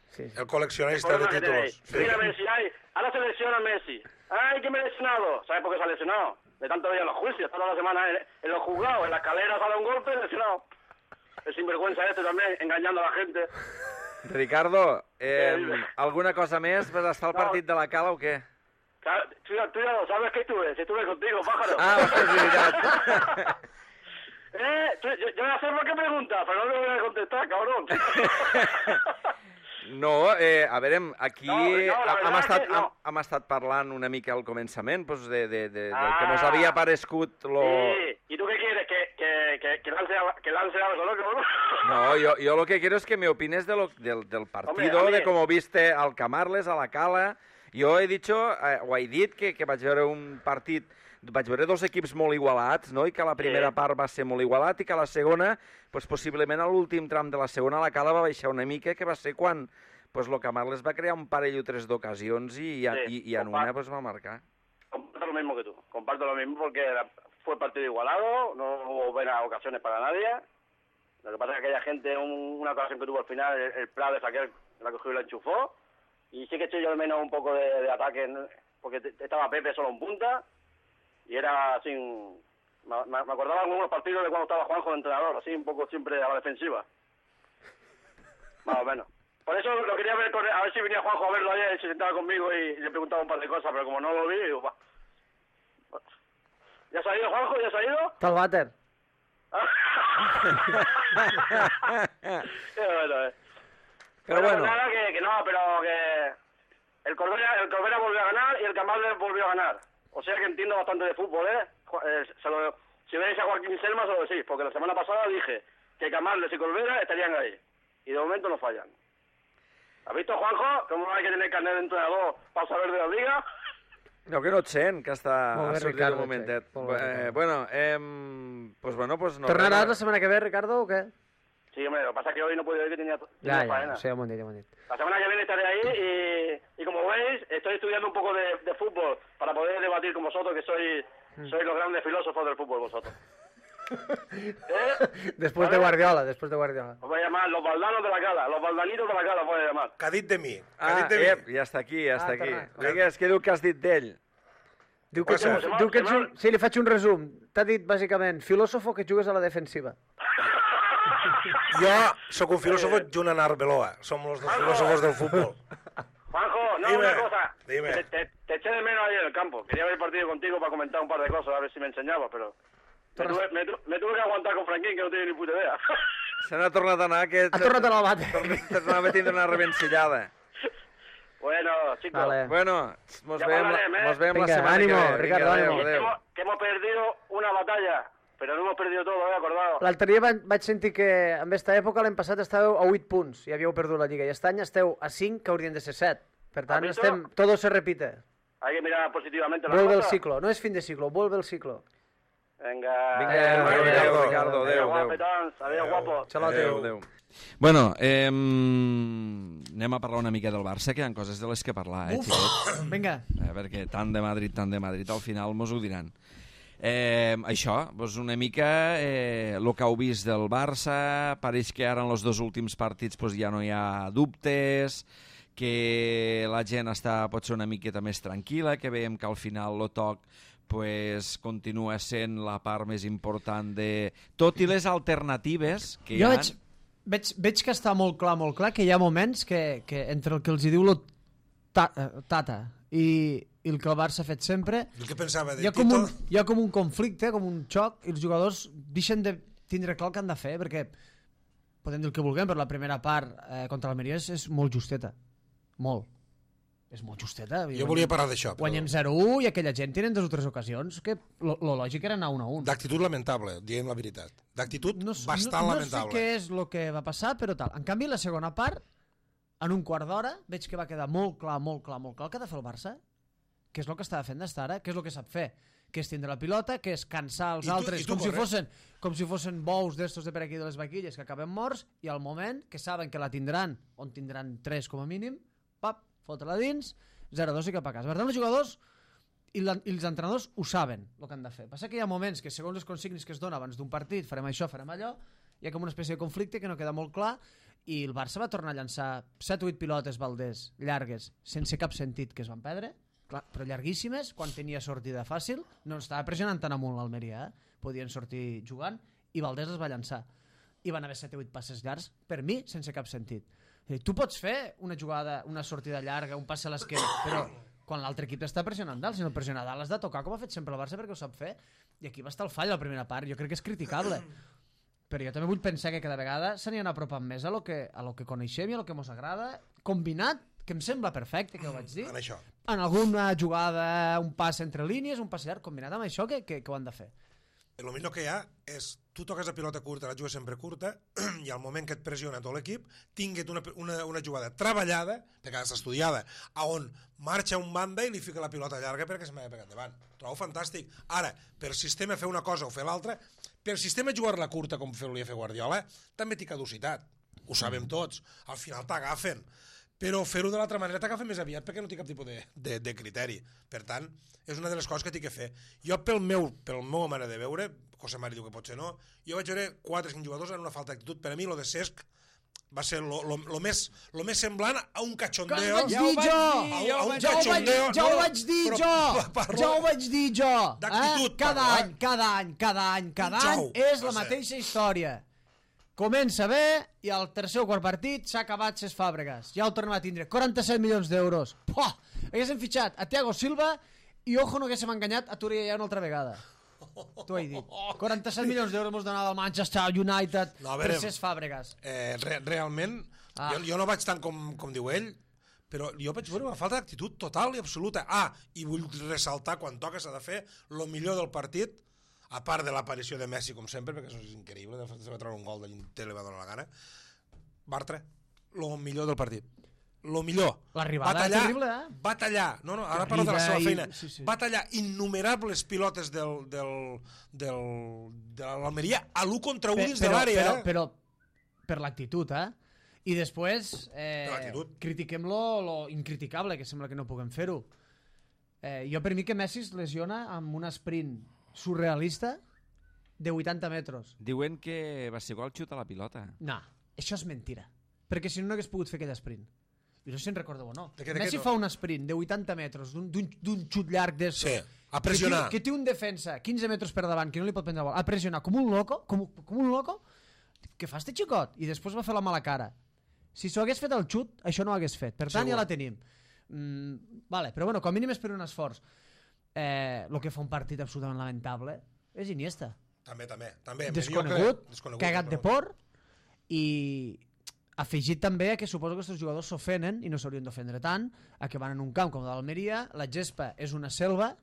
Speaker 3: sí.
Speaker 2: El coleccionista de títulos.
Speaker 5: Mira Messi, ay, ahora se lesiona Messi. Ay, que me he lesionado. ¿Sabes por qué se ha lesionado? De tanto día en los juicios, toda la semana en, en los juzgados, en la escalera sale un golpe, lesionado. El sinvergüenza este también, engañando a la gente.
Speaker 1: Ricardo, eh, alguna cosa més? Vas estar al partit de la Cala o què?
Speaker 5: Claro, tú, tú ya lo sabes que estuve, si estuve contigo, pájaro.
Speaker 1: Ah, és veritat.
Speaker 5: eh, tú, yo, yo no sé por qué preguntas, pero no me voy a contestar, cabrón.
Speaker 1: No, eh, a veure, aquí
Speaker 5: No, no, la
Speaker 1: hem,
Speaker 5: verdad
Speaker 1: estat,
Speaker 5: que no.
Speaker 1: hem, hem estat parlant una mica al començament pues, de, de, de,
Speaker 5: Ah.
Speaker 1: del que mos havia parescut lo...
Speaker 5: Sí, ¿y tú qué quieres? ¿Que, que, que, que, lance, que lance algo, no?
Speaker 1: No, yo, yo lo que quiero es que me opines de lo, del, del partido,
Speaker 5: Hombre,
Speaker 1: de cómo viste al Camarles, a la Cala. Jo he dicho, eh, o he dit, que, que vaig veure un partit, vaig veure dos equips molt igualats, no? I que la primera
Speaker 5: Sí.
Speaker 1: part va ser molt igualat i que la segona, pues, possiblement a l'últim tram de la segona, la Cala va baixar una mica, que va ser quan pues, lo Camarles va crear un parell o tres d'ocasions i, i,
Speaker 5: Sí,
Speaker 1: i, i en una pues, va marcar.
Speaker 5: Comparto lo mismo que tú, comparto lo mismo porque fue partido igualado, no hubo buenas ocasiones para nadie. Lo que pasa es que aquella gente, un, una ocasión que tuvo al final, el, el Prades, aquel, la cogió y la enchufó. Y sí que estoy yo al menos un poco de, de ataque, ¿no? Porque te, estaba Pepe solo en punta y era así, me, me acordaba de algunos partidos de cuando estaba Juanjo de entrenador, así un poco siempre a la defensiva. Más o menos. Por eso lo quería ver, con, a ver si venía Juanjo a verlo ayer y se sentaba conmigo y, y le preguntaba un par de cosas, pero como no lo vi, digo, va. ¿Ya se ha ido, Juanjo? ¿Ya se ha ido?
Speaker 3: Està al vàter.
Speaker 5: Qué bueno, eh.
Speaker 1: Pero
Speaker 5: Bueno,
Speaker 1: bueno,
Speaker 5: nada, que, que no, pero que el Corbera, el Corbera volvió a ganar y el Camarles volvió a ganar. O sea que entiendo bastante de fútbol, ¿eh? Ju- eh, se lo, si veis a Joaquín Selma, se lo decís, porque la semana pasada dije que Camarles y Corbera estarían ahí. Y de momento no fallan. ¿Has visto, Juanjo, cómo hay que tener carnet de entrenador para saber de la liga?
Speaker 1: no, que no et sent, que està
Speaker 3: Molt bé,
Speaker 1: ha sortit
Speaker 3: Ricardo,
Speaker 1: un momentet.
Speaker 3: sí. Molt bé,
Speaker 1: Eh,
Speaker 3: Ricardo.
Speaker 1: bueno, eh, pues bueno, pues no.
Speaker 3: Tornaràs la setmana que ve, Ricardo, o què?
Speaker 5: Sí, hombre, lo que pasa es que hoy no puedo ir, que tenía, tenía
Speaker 3: Ja, ja,
Speaker 5: faena.
Speaker 3: sí, ja m'ho han dit, ja m'ho han dit.
Speaker 5: La semana que viene estaré ahí y, y como veis, estoy estudiando un poco de, de fútbol para poder debatir con vosotros, que sois, sois los grandes filósofos del fútbol vosotros. ¿Eh?
Speaker 3: Després de
Speaker 5: ¿Vale?
Speaker 3: Guardiola, després de Guardiola.
Speaker 5: Os voy a llamar los baldanos de la Cala, los baldanitos de la Cala os voy a llamar.
Speaker 2: Que ha dit de mi. Que ha
Speaker 1: Ah,
Speaker 2: dit de mi.
Speaker 1: ep, ja està aquí, ja
Speaker 3: Ah,
Speaker 1: està aquí.
Speaker 3: torna.
Speaker 1: Vinga, és que diu que has dit d'ell.
Speaker 3: Diu que, ets un,
Speaker 5: Passa.
Speaker 3: diu que ets un... Sí, li faig un resum. T'ha dit, bàsicament, filòsofo que jugues a la defensiva.
Speaker 2: Jo sóc un filòsofo junt amb Arbeloa. Som els dos filòsofos del futbol.
Speaker 5: Juanjo, no,
Speaker 2: Dime,
Speaker 5: una cosa.
Speaker 2: dime.
Speaker 5: Te, te, te eché de menos ayer en el campo. Quería ver el partido contigo para comentar un par de cosas, a ver si me enseñabas, pero... Me tuve, me, tu- me tuve que aguantar con Franquín, que no tiene ni puta idea.
Speaker 1: Se n'ha tornat a anar, que...
Speaker 3: Ha tornat a la bata.
Speaker 1: T'anava a tindre una revencellada.
Speaker 5: Bueno, chicos.
Speaker 3: Vale.
Speaker 1: Bueno, mos
Speaker 5: Ja
Speaker 1: veiem,
Speaker 5: parlarem, eh?
Speaker 1: mos veiem la
Speaker 3: Vinga,
Speaker 1: setmana
Speaker 3: ànimo,
Speaker 1: que ve.
Speaker 3: Ricardo,
Speaker 1: adéu,
Speaker 3: ànimo.
Speaker 5: Que
Speaker 1: adéu.
Speaker 5: hemos, que hemos perdido una batalla, pero no hemos perdido todo, ¿eh? Acordado.
Speaker 3: L'altre dia va- vaig sentir que en aquesta època l'any passat estàveu a vuit punts i havíeu perdut la Lliga. I aquest any esteu a cinc, que haurien de ser set. Per tant,
Speaker 5: ¿Has visto?
Speaker 3: estem... Todo se repite.
Speaker 5: Hay que mirar positivamente las
Speaker 3: Vuelve el
Speaker 5: cosas.
Speaker 3: ciclo. No és fin de ciclo, vuelve el ciclo.
Speaker 5: Venga.
Speaker 1: Vinga,
Speaker 3: Adéu,
Speaker 1: adéu,
Speaker 3: adéu,
Speaker 1: adéu,
Speaker 3: adéu,
Speaker 1: Ricardo,
Speaker 5: Adiós,
Speaker 1: adéu, adéu.
Speaker 5: guapetons. Adiós, guapos.
Speaker 3: Xalote.
Speaker 1: Adéu, adéu. Bueno, eh, anem a parlar una mica del Barça, que hi ha coses de les que parlar, eh, xiquets?
Speaker 3: Vinga.
Speaker 1: Eh, perquè tant de Madrid, tant de Madrid, al final mos ho diran. Eh, això, doncs una mica eh, el que heu vist del Barça, pareix que ara en els dos últims partits doncs, ja no hi ha dubtes, que la gent està potser una miqueta més tranquil·la, que veiem que al final el toc pues, continua sent la part més important de... Tot i les alternatives que
Speaker 3: Jo
Speaker 1: hi ha...
Speaker 3: veig, veig, veig que està molt clar, molt clar, que hi ha moments que, que entre el que els hi diu lo ta, eh, Tata i, i el que el Barça ha fet sempre,
Speaker 2: El que pensava de
Speaker 3: hi ha, com
Speaker 2: Tito...
Speaker 3: un, hi ha com un conflicte, com un xoc, i els jugadors deixen de tindre clar el que han de fer, perquè podem dir el que vulguem, però la primera part eh, contra l'Almeria és, és molt justeta. Molt. és molt justeta.
Speaker 2: Jo volia parlar d'això. Però...
Speaker 3: Guanyem zero a u i aquella gent tenen dues o tres ocasions, que lo, lo lògic era anar un a un.
Speaker 2: D'actitud lamentable, diem la veritat. D'actitud
Speaker 3: no,
Speaker 2: bastant
Speaker 3: no,
Speaker 2: lamentable.
Speaker 3: No sé què és el que va passar, però tal. En canvi, la segona part, en un quart d'hora, veig que va quedar molt clar, molt clar, molt clar el que ha de fer el Barça, que és el que estava fent d'estar ara, que és el que sap fer, que és tindre la pilota, que és cansar els
Speaker 2: I tu,
Speaker 3: altres
Speaker 2: i tu
Speaker 3: com, si fossin, com si fossin bous d'estos de per aquí de les vaquilles que acaben morts, i al moment que saben que la tindran, on tindran tres com a mínim, pap, fotre-la dins, zero a dos i cap a casa. Per tant, els jugadors i, la, i els entrenadors ho saben, el que han de fer. Passa que hi ha moments que, segons les consignes que es donen abans d'un partit, farem això, farem allò, hi ha com una espècie de conflicte que no queda molt clar, i el Barça va tornar a llançar set o vuit pilotes Valdés, llargues, sense cap sentit, que es van perdre, clar, però llarguíssimes, quan tenia sortida fàcil, no estava pressionant tan amunt l'Almeria, eh? Podien sortir jugant, i Valdés les va llançar. I van haver set o vuit passes llargs, per mi, sense cap sentit. Tu pots fer una jugada, una sortida llarga, un passe a l'esquerra, però quan l'altre equip està pressionant dalt, si no pressiona dalt has de tocar com ha fet sempre el Barça perquè ho sap fer, i aquí va estar el fall a la primera part, jo crec que és criticable, però jo també vull pensar que cada vegada s'anien apropant més a lo que, a lo que coneixem i a lo que ens agrada, combinat, que em sembla perfecte, que ho vaig dir,
Speaker 2: en això.
Speaker 3: En alguna jugada, un pas entre línies, un pas llarg, combinat amb això, que, que, que ho han de fer.
Speaker 2: El millor que hi ha és, tu toques la pilota curta, la jugues sempre curta, i al moment que et pressiona tot l'equip, tinguet una, una, una jugada treballada, perquè ha d'estar estudiada, a on marxa un banda i li fica la pilota llarga perquè se m'ha pegat davant. Trobo fantàstic. Ara, per sistema fer una cosa o fer l'altra, per sistema jugar-la curta com volia fer Guardiola, també té caducitat. Ho sabem tots. Al final t'agafen. Però fer-ho de l'altra manera t'agafa més aviat perquè no té cap tipus de, de, de criteri. Per tant, és una de les coses que té que fer. Jo, pel meu, pel meu manera de veure, José Mari diu que potser no, jo vaig veure quatre o cinc jugadors en una falta d'actitud. Per a mi, lo de Cesc va ser lo, lo, lo, més, lo més semblant a un cachondeo.
Speaker 3: Que ho vaig dir jo!
Speaker 2: A, a un
Speaker 3: Ja ho vaig,
Speaker 2: cachondeo.
Speaker 3: ja ho
Speaker 2: no,
Speaker 3: vaig dir
Speaker 2: però,
Speaker 3: jo!
Speaker 2: parlo,
Speaker 3: Ja ho vaig dir jo!
Speaker 2: D'actitud,
Speaker 3: Eh? Cada
Speaker 2: parlo,
Speaker 3: any, cada any, cada any, cada
Speaker 2: Un
Speaker 3: any
Speaker 2: xou,
Speaker 3: és
Speaker 2: va
Speaker 3: la
Speaker 2: ser.
Speaker 3: mateixa història. Comença bé i al tercer o quart partit s'ha acabat ses fàbregues. Ja ho tornem a tindre. quaranta-set milions d'euros. Puah! Haguéssim fitxat a Thiago Silva i ojo no haguéssim enganyat a Turilla ja una altra vegada. T'ho he dit. quaranta-set milions d'euros mos donava el Manchester United
Speaker 2: No, a
Speaker 3: per
Speaker 2: veure,
Speaker 3: ses fàbregues.
Speaker 2: Eh, re, realment,
Speaker 3: Ah.
Speaker 2: jo, jo no vaig tant com, com diu ell, però jo vaig veure una falta d'actitud total i absoluta. Ah, i vull ressaltar, quan toca s'ha de fer el millor del partit, a part de l'aparició de Messi, com sempre, perquè això és increïble, de fet se va treure un gol de l'Inter, li va donar la gana. Bartra, el millor del partit. Lo millor.
Speaker 3: L'arribada
Speaker 2: Va
Speaker 3: és
Speaker 2: tallar-
Speaker 3: terrible, eh?
Speaker 2: Va tallar, no, no, ara parlo de la seva
Speaker 3: Arriba i-
Speaker 2: feina,
Speaker 3: sí, sí.
Speaker 2: va tallar innumerables pilotes del, del, del, de l'Almeria a l'u contra u dins de
Speaker 3: però,
Speaker 2: l'àrea.
Speaker 3: però,
Speaker 2: eh?
Speaker 3: però per l'actitud, eh? I després eh,
Speaker 2: Per l'actitud.
Speaker 3: critiquem lo, lo incriticable, que sembla que no puguem fer-ho. Eh, jo per mi que Messi es lesiona amb un sprint surrealista de vuitanta metres.
Speaker 1: Diuen que va ser gol xut a la pilota.
Speaker 3: No, això és mentira. Perquè si no, no hagués pogut fer aquell sprint. I no sé si en recordeu o no.
Speaker 2: De què- de
Speaker 3: Messi
Speaker 2: què no?
Speaker 3: fa un sprint de vuitanta metres, d'un- d'un d'un xut llarg d'estos.
Speaker 2: Sí, a pressionar.
Speaker 3: Que té, que té un defensa quinze metres per davant, que no li pot prendre la bola, a pressionar com un loco, com, com un loco, què fa este xicot? I després va fer la mala cara. Si s'ho hagués fet el xut, això no ho hagués fet. Per tant,
Speaker 2: Segur.
Speaker 3: ja la tenim. Mm, vale, però bueno, com a mínim és per un esforç. Eh, el que fa un partit absolutament lamentable és Iniesta.
Speaker 2: També, també. també.
Speaker 3: Desconegut,
Speaker 2: Jo crec- desconegut,
Speaker 3: cagat de
Speaker 2: però-
Speaker 3: por, i afegit també a que suposo que aquests jugadors s'ofenen, i no s'haurien d'ofendre tant, a que van en un camp com l'Almeria, la gespa és una selva,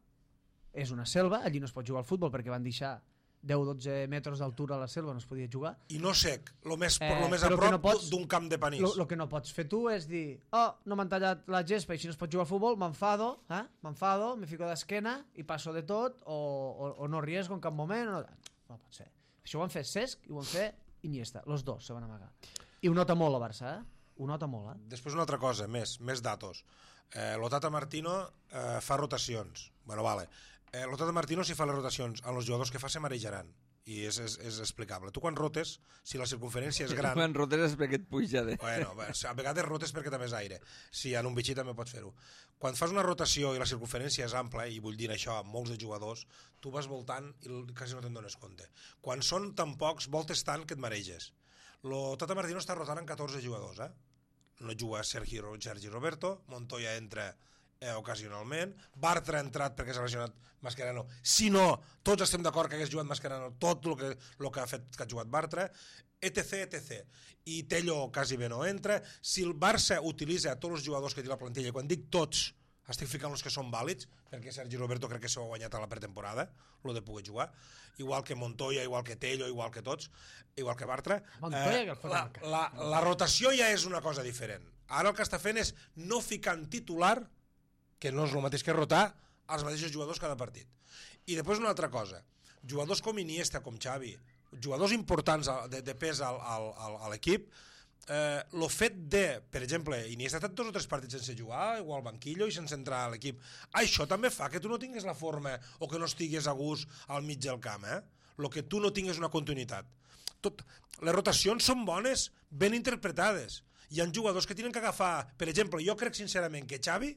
Speaker 3: és una selva, allí no es pot jugar al futbol perquè van deixar deu o dotze metres d'altura a la selva, no es podia jugar.
Speaker 2: I no sec, el més,
Speaker 3: Eh,
Speaker 2: lo més a
Speaker 3: però que
Speaker 2: prop
Speaker 3: no pots-
Speaker 2: d'un camp de panís.
Speaker 3: El que no pots fer tu és dir, oh, no m'han tallat la gespa i si no es pot jugar al futbol, m'enfado, eh? m'enfado, me fico d'esquena i passo de tot, o, o, o no riesgo en cap moment. O no... no pot ser. Això ho han fet Cesc i ho han fet Iniesta. Los dos se van amagar. I ho nota molt el Barça, eh? Ho nota molt, eh?
Speaker 2: Després una altra cosa, més, més datos. Eh, L'Otata Martino eh, fa rotacions. Bueno, vale. Eh, L'Otata Martino, si fa les rotacions amb els jugadors que fa, se marejaran. I és, és, és explicable. Tu quan rotes, si la circunferència és gran...
Speaker 1: Quan rotes és perquè et puja de...
Speaker 2: Bueno, a vegades rotes perquè també és aire. Si en un bitxí també pots fer-ho. Quan fas una rotació i la circunferència és ampla, i vull dir això amb molts de jugadors, tu vas voltant i quasi no te'n dones compte. Quan són tan pocs, voltes tant que et mareges. Lo Tata Martino està rotant amb catorze jugadors, eh? No juga Sergi, Sergi Roberto, Montoya entra eh, ocasionalment, Bartra ha entrat perquè s'ha lesionat Mascherano, si no, tots estem d'acord que hagués jugat Mascherano tot el que, el que ha fet que ha jugat Bartra, etc, etc. I Tello quasi bé no entra. Si el Barça utilitza tots els jugadors que té la plantilla, quan dic tots, estic ficant els que són vàlids, perquè Sergi Roberto crec que s'ho ha guanyat a la pretemporada, el de poder jugar, igual que Montoya, igual que Tello, igual que tots, igual que Bartra.
Speaker 3: Montoya, que el
Speaker 2: la, la, la rotació ja és una cosa diferent. Ara el que està fent és no ficar en titular, que no és el mateix que rotar, els mateixos jugadors cada partit. I després una altra cosa, jugadors com Iniesta, com Xavi, jugadors importants de, de pes al, al, al, a l'equip, Eh, el fet de, per exemple, Iniesta ha estat dos o tres partits sense jugar o al banquillo i sense entrar a l'equip, això també fa que tu no tinguis la forma o que no estiguis a gust al mig del camp, eh? El que tu no tinguis una continuïtat. Tot, les rotacions són bones, ben interpretades. Hi ha jugadors que tenen que agafar, per exemple, jo crec sincerament que Xavi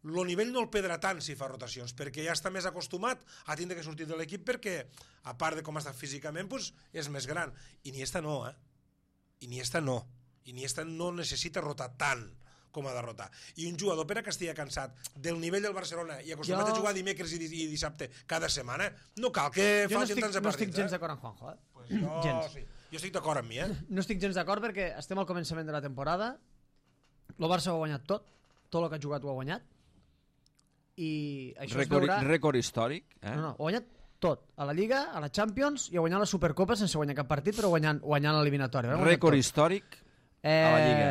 Speaker 2: el nivell no el perdrà tant si fa rotacions, perquè ja està més acostumat a tindre que sortir de l'equip perquè, a part de com està físicament, pues, és més gran. Iniesta no, eh? Iniesta no. Iniesta no necessita rotar tant com ha de rotar. I un jugador, per a que estigui cansat del nivell del Barcelona i acostumat jo... a jugar dimecres i, i dissabte cada setmana, no cal que
Speaker 3: jo
Speaker 2: facin
Speaker 3: no
Speaker 2: tants de
Speaker 3: partits. Jo no
Speaker 2: partits.
Speaker 3: estic gens d'acord amb Juanjo, eh?
Speaker 2: Pues jo, gens. Sí. Jo estic d'acord amb mi, eh?
Speaker 3: No estic gens d'acord perquè estem al començament de la temporada, el Barça ho ha guanyat tot, tot el que ha jugat ho ha guanyat, i això
Speaker 1: Record,
Speaker 3: es veurà...
Speaker 1: Rècord històric, eh?
Speaker 3: No, no, ho ha guanyat tot, a la Lliga, a la Champions i a guanyar la Supercopa sense guanyar cap partit, però guanyant, guanyant l'eliminatori.
Speaker 1: Rècord històric
Speaker 3: eh,
Speaker 1: a la Lliga.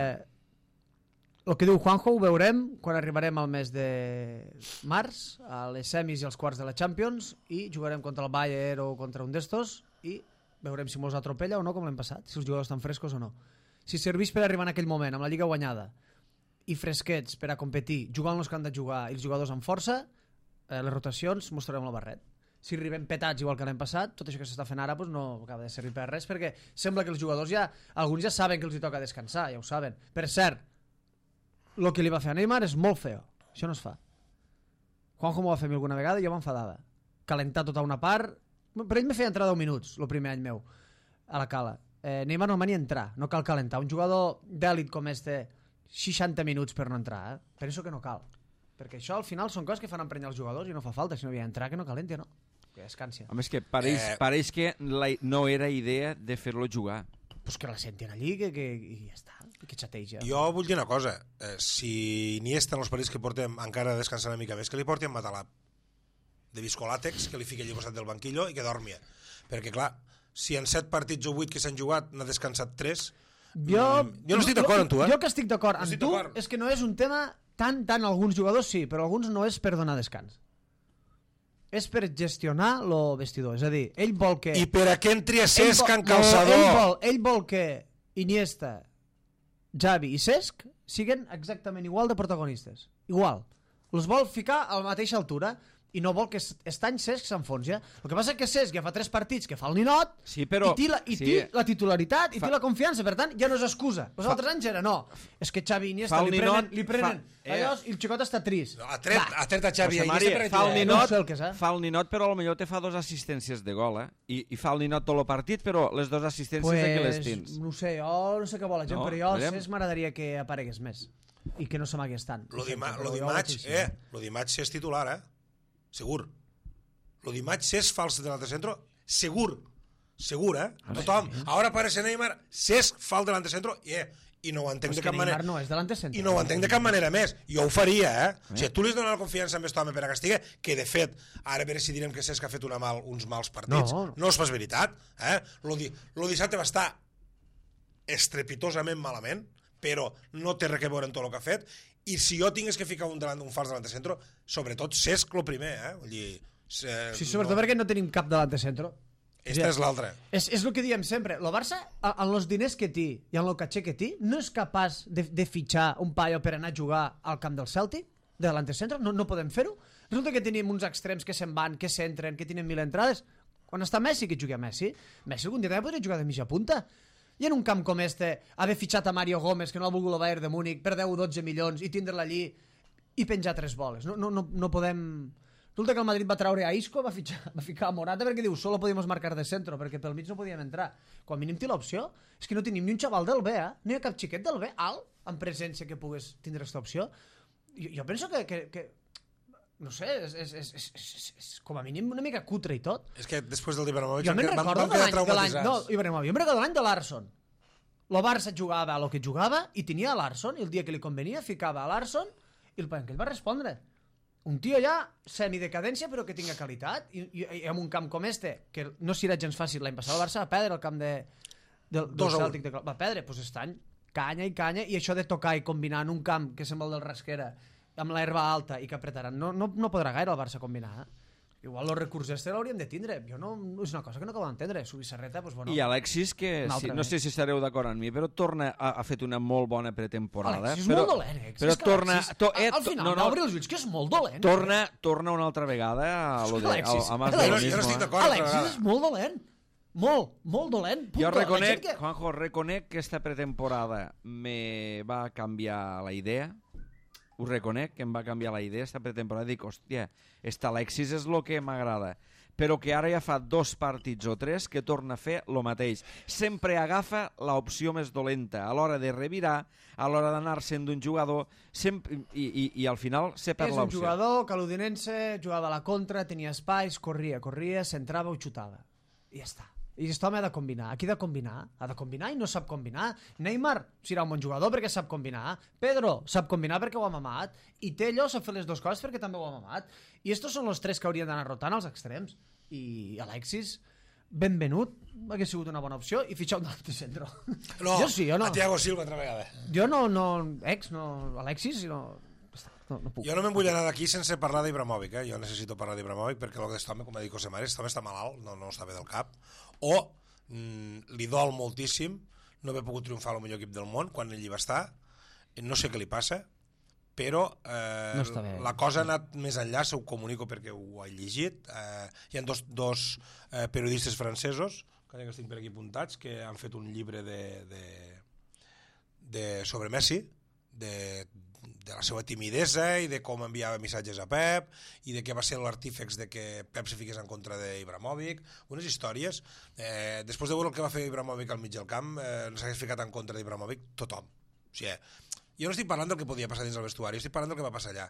Speaker 3: El que diu Juanjo ho veurem quan arribarem al mes de març, a les semis i els quarts de la Champions, i jugarem contra el Bayern o contra un d'estos i veurem si mos atropella o no, com l'hem passat, si els jugadors estan frescos o no. Si serveix per arribar en aquell moment amb la Lliga guanyada i fresquets per a competir, jugant els que han de jugar i els jugadors amb força, eh, les rotacions mostrarem el barret. Si arribem petats igual que l'any passat, tot això que s'està fent ara pues no acaba de servir per res, perquè sembla que els jugadors ja, alguns ja saben que els hi toca descansar, ja ho saben. Per cert, el que li va fer a Neymar és molt feo, això no es fa. Juanjo m'ho va fer a mi alguna vegada i jo m'enfadava. Calentar tota una part, per ell me feia entrar deu minuts, el primer any meu, a la cala. Eh, Neymar no mani entrar, no cal calentar. Un jugador d'èlit com este, seixanta minuts per no entrar, eh? Penso que no cal. Perquè això al final són coses que fan emprenyar els jugadors i no fa falta, si no havia d'entrar que no calenti, no? Que descansi.
Speaker 1: Home, és que pareix, eh... pareix que la, no era idea de fer-lo jugar.
Speaker 3: Pues que la sentin allí que, que, i ja està, que xateja.
Speaker 2: Jo vull dir una cosa, eh, si Iniesta en els partits que portem encara descansar una mica més, que li porti en Matalà de viscolàtex, que li fiqui allà al costat del banquillo i que dormia. Perquè clar, si en set partits o vuit que s'han jugat n'ha descansat tres,
Speaker 3: jo,
Speaker 2: jo no estic d'acord amb tu, eh?
Speaker 3: Jo que estic d'acord
Speaker 2: no
Speaker 3: amb
Speaker 2: estic
Speaker 3: tu
Speaker 2: és
Speaker 3: que no és un tema tant, tant alguns jugadors sí, però alguns no és per donar descans. És per gestionar el vestidor, és a dir, ell vol que...
Speaker 2: I per a què entri a Cesc en
Speaker 3: no,
Speaker 2: calçador?
Speaker 3: Ell vol, ell vol que Iniesta, Xavi i Cesc siguen exactament igual de protagonistes. Igual. Els vol ficar a la mateixa altura i no vol que Estany Cesc s'enfonsi. El que passa és que Cesc ja fa tres partits que fa el ninot
Speaker 1: sí, però,
Speaker 3: i, té la, i
Speaker 1: sí.
Speaker 3: té la titularitat i
Speaker 1: fa...
Speaker 3: té la confiança, per tant ja no és excusa. Els fa... altres anys era no, és que Xavi i Iniesta li prenen, li prenen fa... eh... allò, i el xicot està trist.
Speaker 2: No, ha tret, ha tret a Xavi i
Speaker 1: Iniesta
Speaker 2: per
Speaker 1: fa el ninot,
Speaker 3: no sé el que és, eh?
Speaker 1: fa el ninot, però potser te fa dos assistències de gol, eh? I, i fa el ninot tot el partit, però les dues assistències
Speaker 3: pues,
Speaker 1: de que les tens.
Speaker 3: No sé, jo no sé què vol la gent,
Speaker 1: no,
Speaker 3: però jo
Speaker 1: veurem.
Speaker 3: Cesc m'agradaria que aparegués més i que no se m'hagués tant.
Speaker 2: Lo dimarts, eh? Lo dimarts és titular, eh? Segur. Lo dimarts Cesc fa el delante centro, segur. Segur, eh? Tothom. Ara aparece Neymar, Cesc fa el delante centro, eh? I no ho entenc
Speaker 3: pues
Speaker 2: de cap manera.
Speaker 3: No, és delante centro.
Speaker 2: I no ho entenc de cap manera més. Jo ho faria, eh? eh? O sigui, tu li dones la confiança amb aquest home per a castiga, que de fet, ara a veure si direm que Cesc ha fet una mal, uns mals partits.
Speaker 3: No, no.
Speaker 2: No és pas veritat, eh? Lo, di, lo dissabte va estar estrepitosament malament, però no té res a veure en tot el que ha fet, i si jo tingués que ficar un, delant, un fals delante centro, sobretot Cesc lo primer, eh? Vull dir... Eh,
Speaker 3: sí, sobretot no. Perquè no tenim cap delante centro.
Speaker 2: Esta és l'altra.
Speaker 3: És, és el que diem sempre. El Barça, amb els diners que té i amb el caché que té, no és capaç de, de fitxar un paio per anar a jugar al camp del Celtic, de delante centro, no, no podem fer-ho. Resulta que tenim uns extrems que se'n van, que s'entren, que tenen mil entrades. Quan està Messi, que jugui a Messi, Messi algun dia també podria jugar de mitja punta. I en un camp com este, haver fitxat a Mario Gómez, que no ha volgut el Bayern de Múnich, per deu o dotze milions, i tindre-la allí i penjar tres boles. No, no, no, no podem... Resulta que el Madrid va treure a Isco, va, fitxar, va ficar a Morata perquè diu, solo podíem marcar de centro, perquè pel mig no podíem entrar. Quan mínim té l'opció, és que no tenim ni un xaval del B, eh? No hi ha cap xiquet del B alt, en presència que pogués tindre aquesta opció. jo, jo penso que, que, que no sé, és, és, és, és, és, és com a mínim una mica cutre i tot.
Speaker 2: És que després del Ibrahimovic
Speaker 3: Jo me'n
Speaker 2: van,
Speaker 3: recordo
Speaker 2: van
Speaker 3: de
Speaker 2: quedar
Speaker 3: l'any, de l'any, no,
Speaker 2: traumatitzats.
Speaker 3: Ibrahimovic, jo me'n recordo de l'any de Larsson. El Barça jugava a lo que jugava i tenia a Larsson, i el dia que li convenia ficava a Larsson i el Palenque va respondre. Un tio ja semidecadència però que tinga qualitat, i, i, i en un camp com este, que no serà gens fàcil, l'any passat el Barça va perdre el camp de, del, del Celtic, de, va perdre, doncs aquest any canya i canya, i això de tocar i combinar en un camp que sembla el del Rasquera amb l'herba alta i que apretaran, no, no, no podrà gaire el Barça combinar, eh? Igual el recurs este l'hauríem de tindre. Jo no, és una cosa que no acabo d'entendre. Subissarreta, doncs, bueno...
Speaker 1: I Alexis, que si, no sé si estareu d'acord amb mi, però torna a, ha fet una molt bona pretemporada.
Speaker 3: Alexis és
Speaker 1: però,
Speaker 3: molt dolent, eh?
Speaker 1: Però
Speaker 3: és
Speaker 1: torna...
Speaker 3: Alexis,
Speaker 1: To, eh,
Speaker 3: al final,
Speaker 1: no, no,
Speaker 3: obrir els ulls, que és molt dolent.
Speaker 1: Torna, torna una altra vegada a lo de,
Speaker 3: Alexis,
Speaker 1: a, a más
Speaker 3: Alexis,
Speaker 1: de lo
Speaker 2: jo no
Speaker 1: mismo.
Speaker 2: estic
Speaker 1: eh?
Speaker 2: d'acord.
Speaker 3: Alexis és molt dolent. Molt, molt dolent. Punto.
Speaker 1: Jo reconec,
Speaker 3: que...
Speaker 1: Juanjo, reconec que esta pretemporada me va canviar la idea. Ho reconec, que em va canviar la idea esta pretemporada. Dic, hòstia, esta Alexis és el que m'agrada. Però que ara ja fa dos partits o tres que torna a fer el mateix. Sempre agafa l'opció més dolenta a l'hora de revirar, a l'hora d'anar-se'n d'un jugador, sempre, i, i, i al final se perd
Speaker 3: És un
Speaker 1: l'opció.
Speaker 3: jugador que a l'Udinense jugava a la contra, tenia espais, corria, corria, centrava o xutava. I ja està. I aquest home ha de combinar. Aquí ha de combinar. Ha de combinar i no sap combinar. Neymar serà un bon jugador perquè sap combinar. Pedro sap combinar perquè ho ha mamat. I Tello sap fer les dues coses perquè també ho ha mamat. I estos són els tres que haurien d'anar rotant als extrems. I Alexis, benvenut, hauria sigut una bona opció, i fitxar un altre centre.
Speaker 2: No,
Speaker 3: jo sí, jo no.
Speaker 2: a Thiago Silva altra vegada.
Speaker 3: Jo no, no, ex, no, Alexis, no, no, no puc.
Speaker 2: Jo no me'n vull anar d'aquí sense parlar d'Ibrahimovic, eh? Jo necessito parlar d'Ibrahimovic perquè el d'aquest home, com ha dit José Mari, aquest home està malalt, no, no està bé del cap, o mm, li dol moltíssim no haver pogut triomfar al millor equip del món quan ell hi va estar, no sé què li passa, però eh,
Speaker 3: No està bé.
Speaker 2: la cosa ha anat més enllà, se ho comunico perquè ho he llegit. Eh, hi ha dos, dos eh, periodistes francesos, que estic per aquí apuntats, que han fet un llibre de, de, de sobre Messi, de, de la seva timidesa i de com enviava missatges a Pep i de què va ser l'artífex de que Pep se fiqués en contra d'Ibrahimovic, unes històries. Eh, després de veure el que va fer Ibrahimovic al mig del camp, eh, s'hagués ficat en contra d'Ibrahimovic tothom. O sigui, jo no estic parlant del que podia passar dins el vestuari, estic parlant del que va passar allà.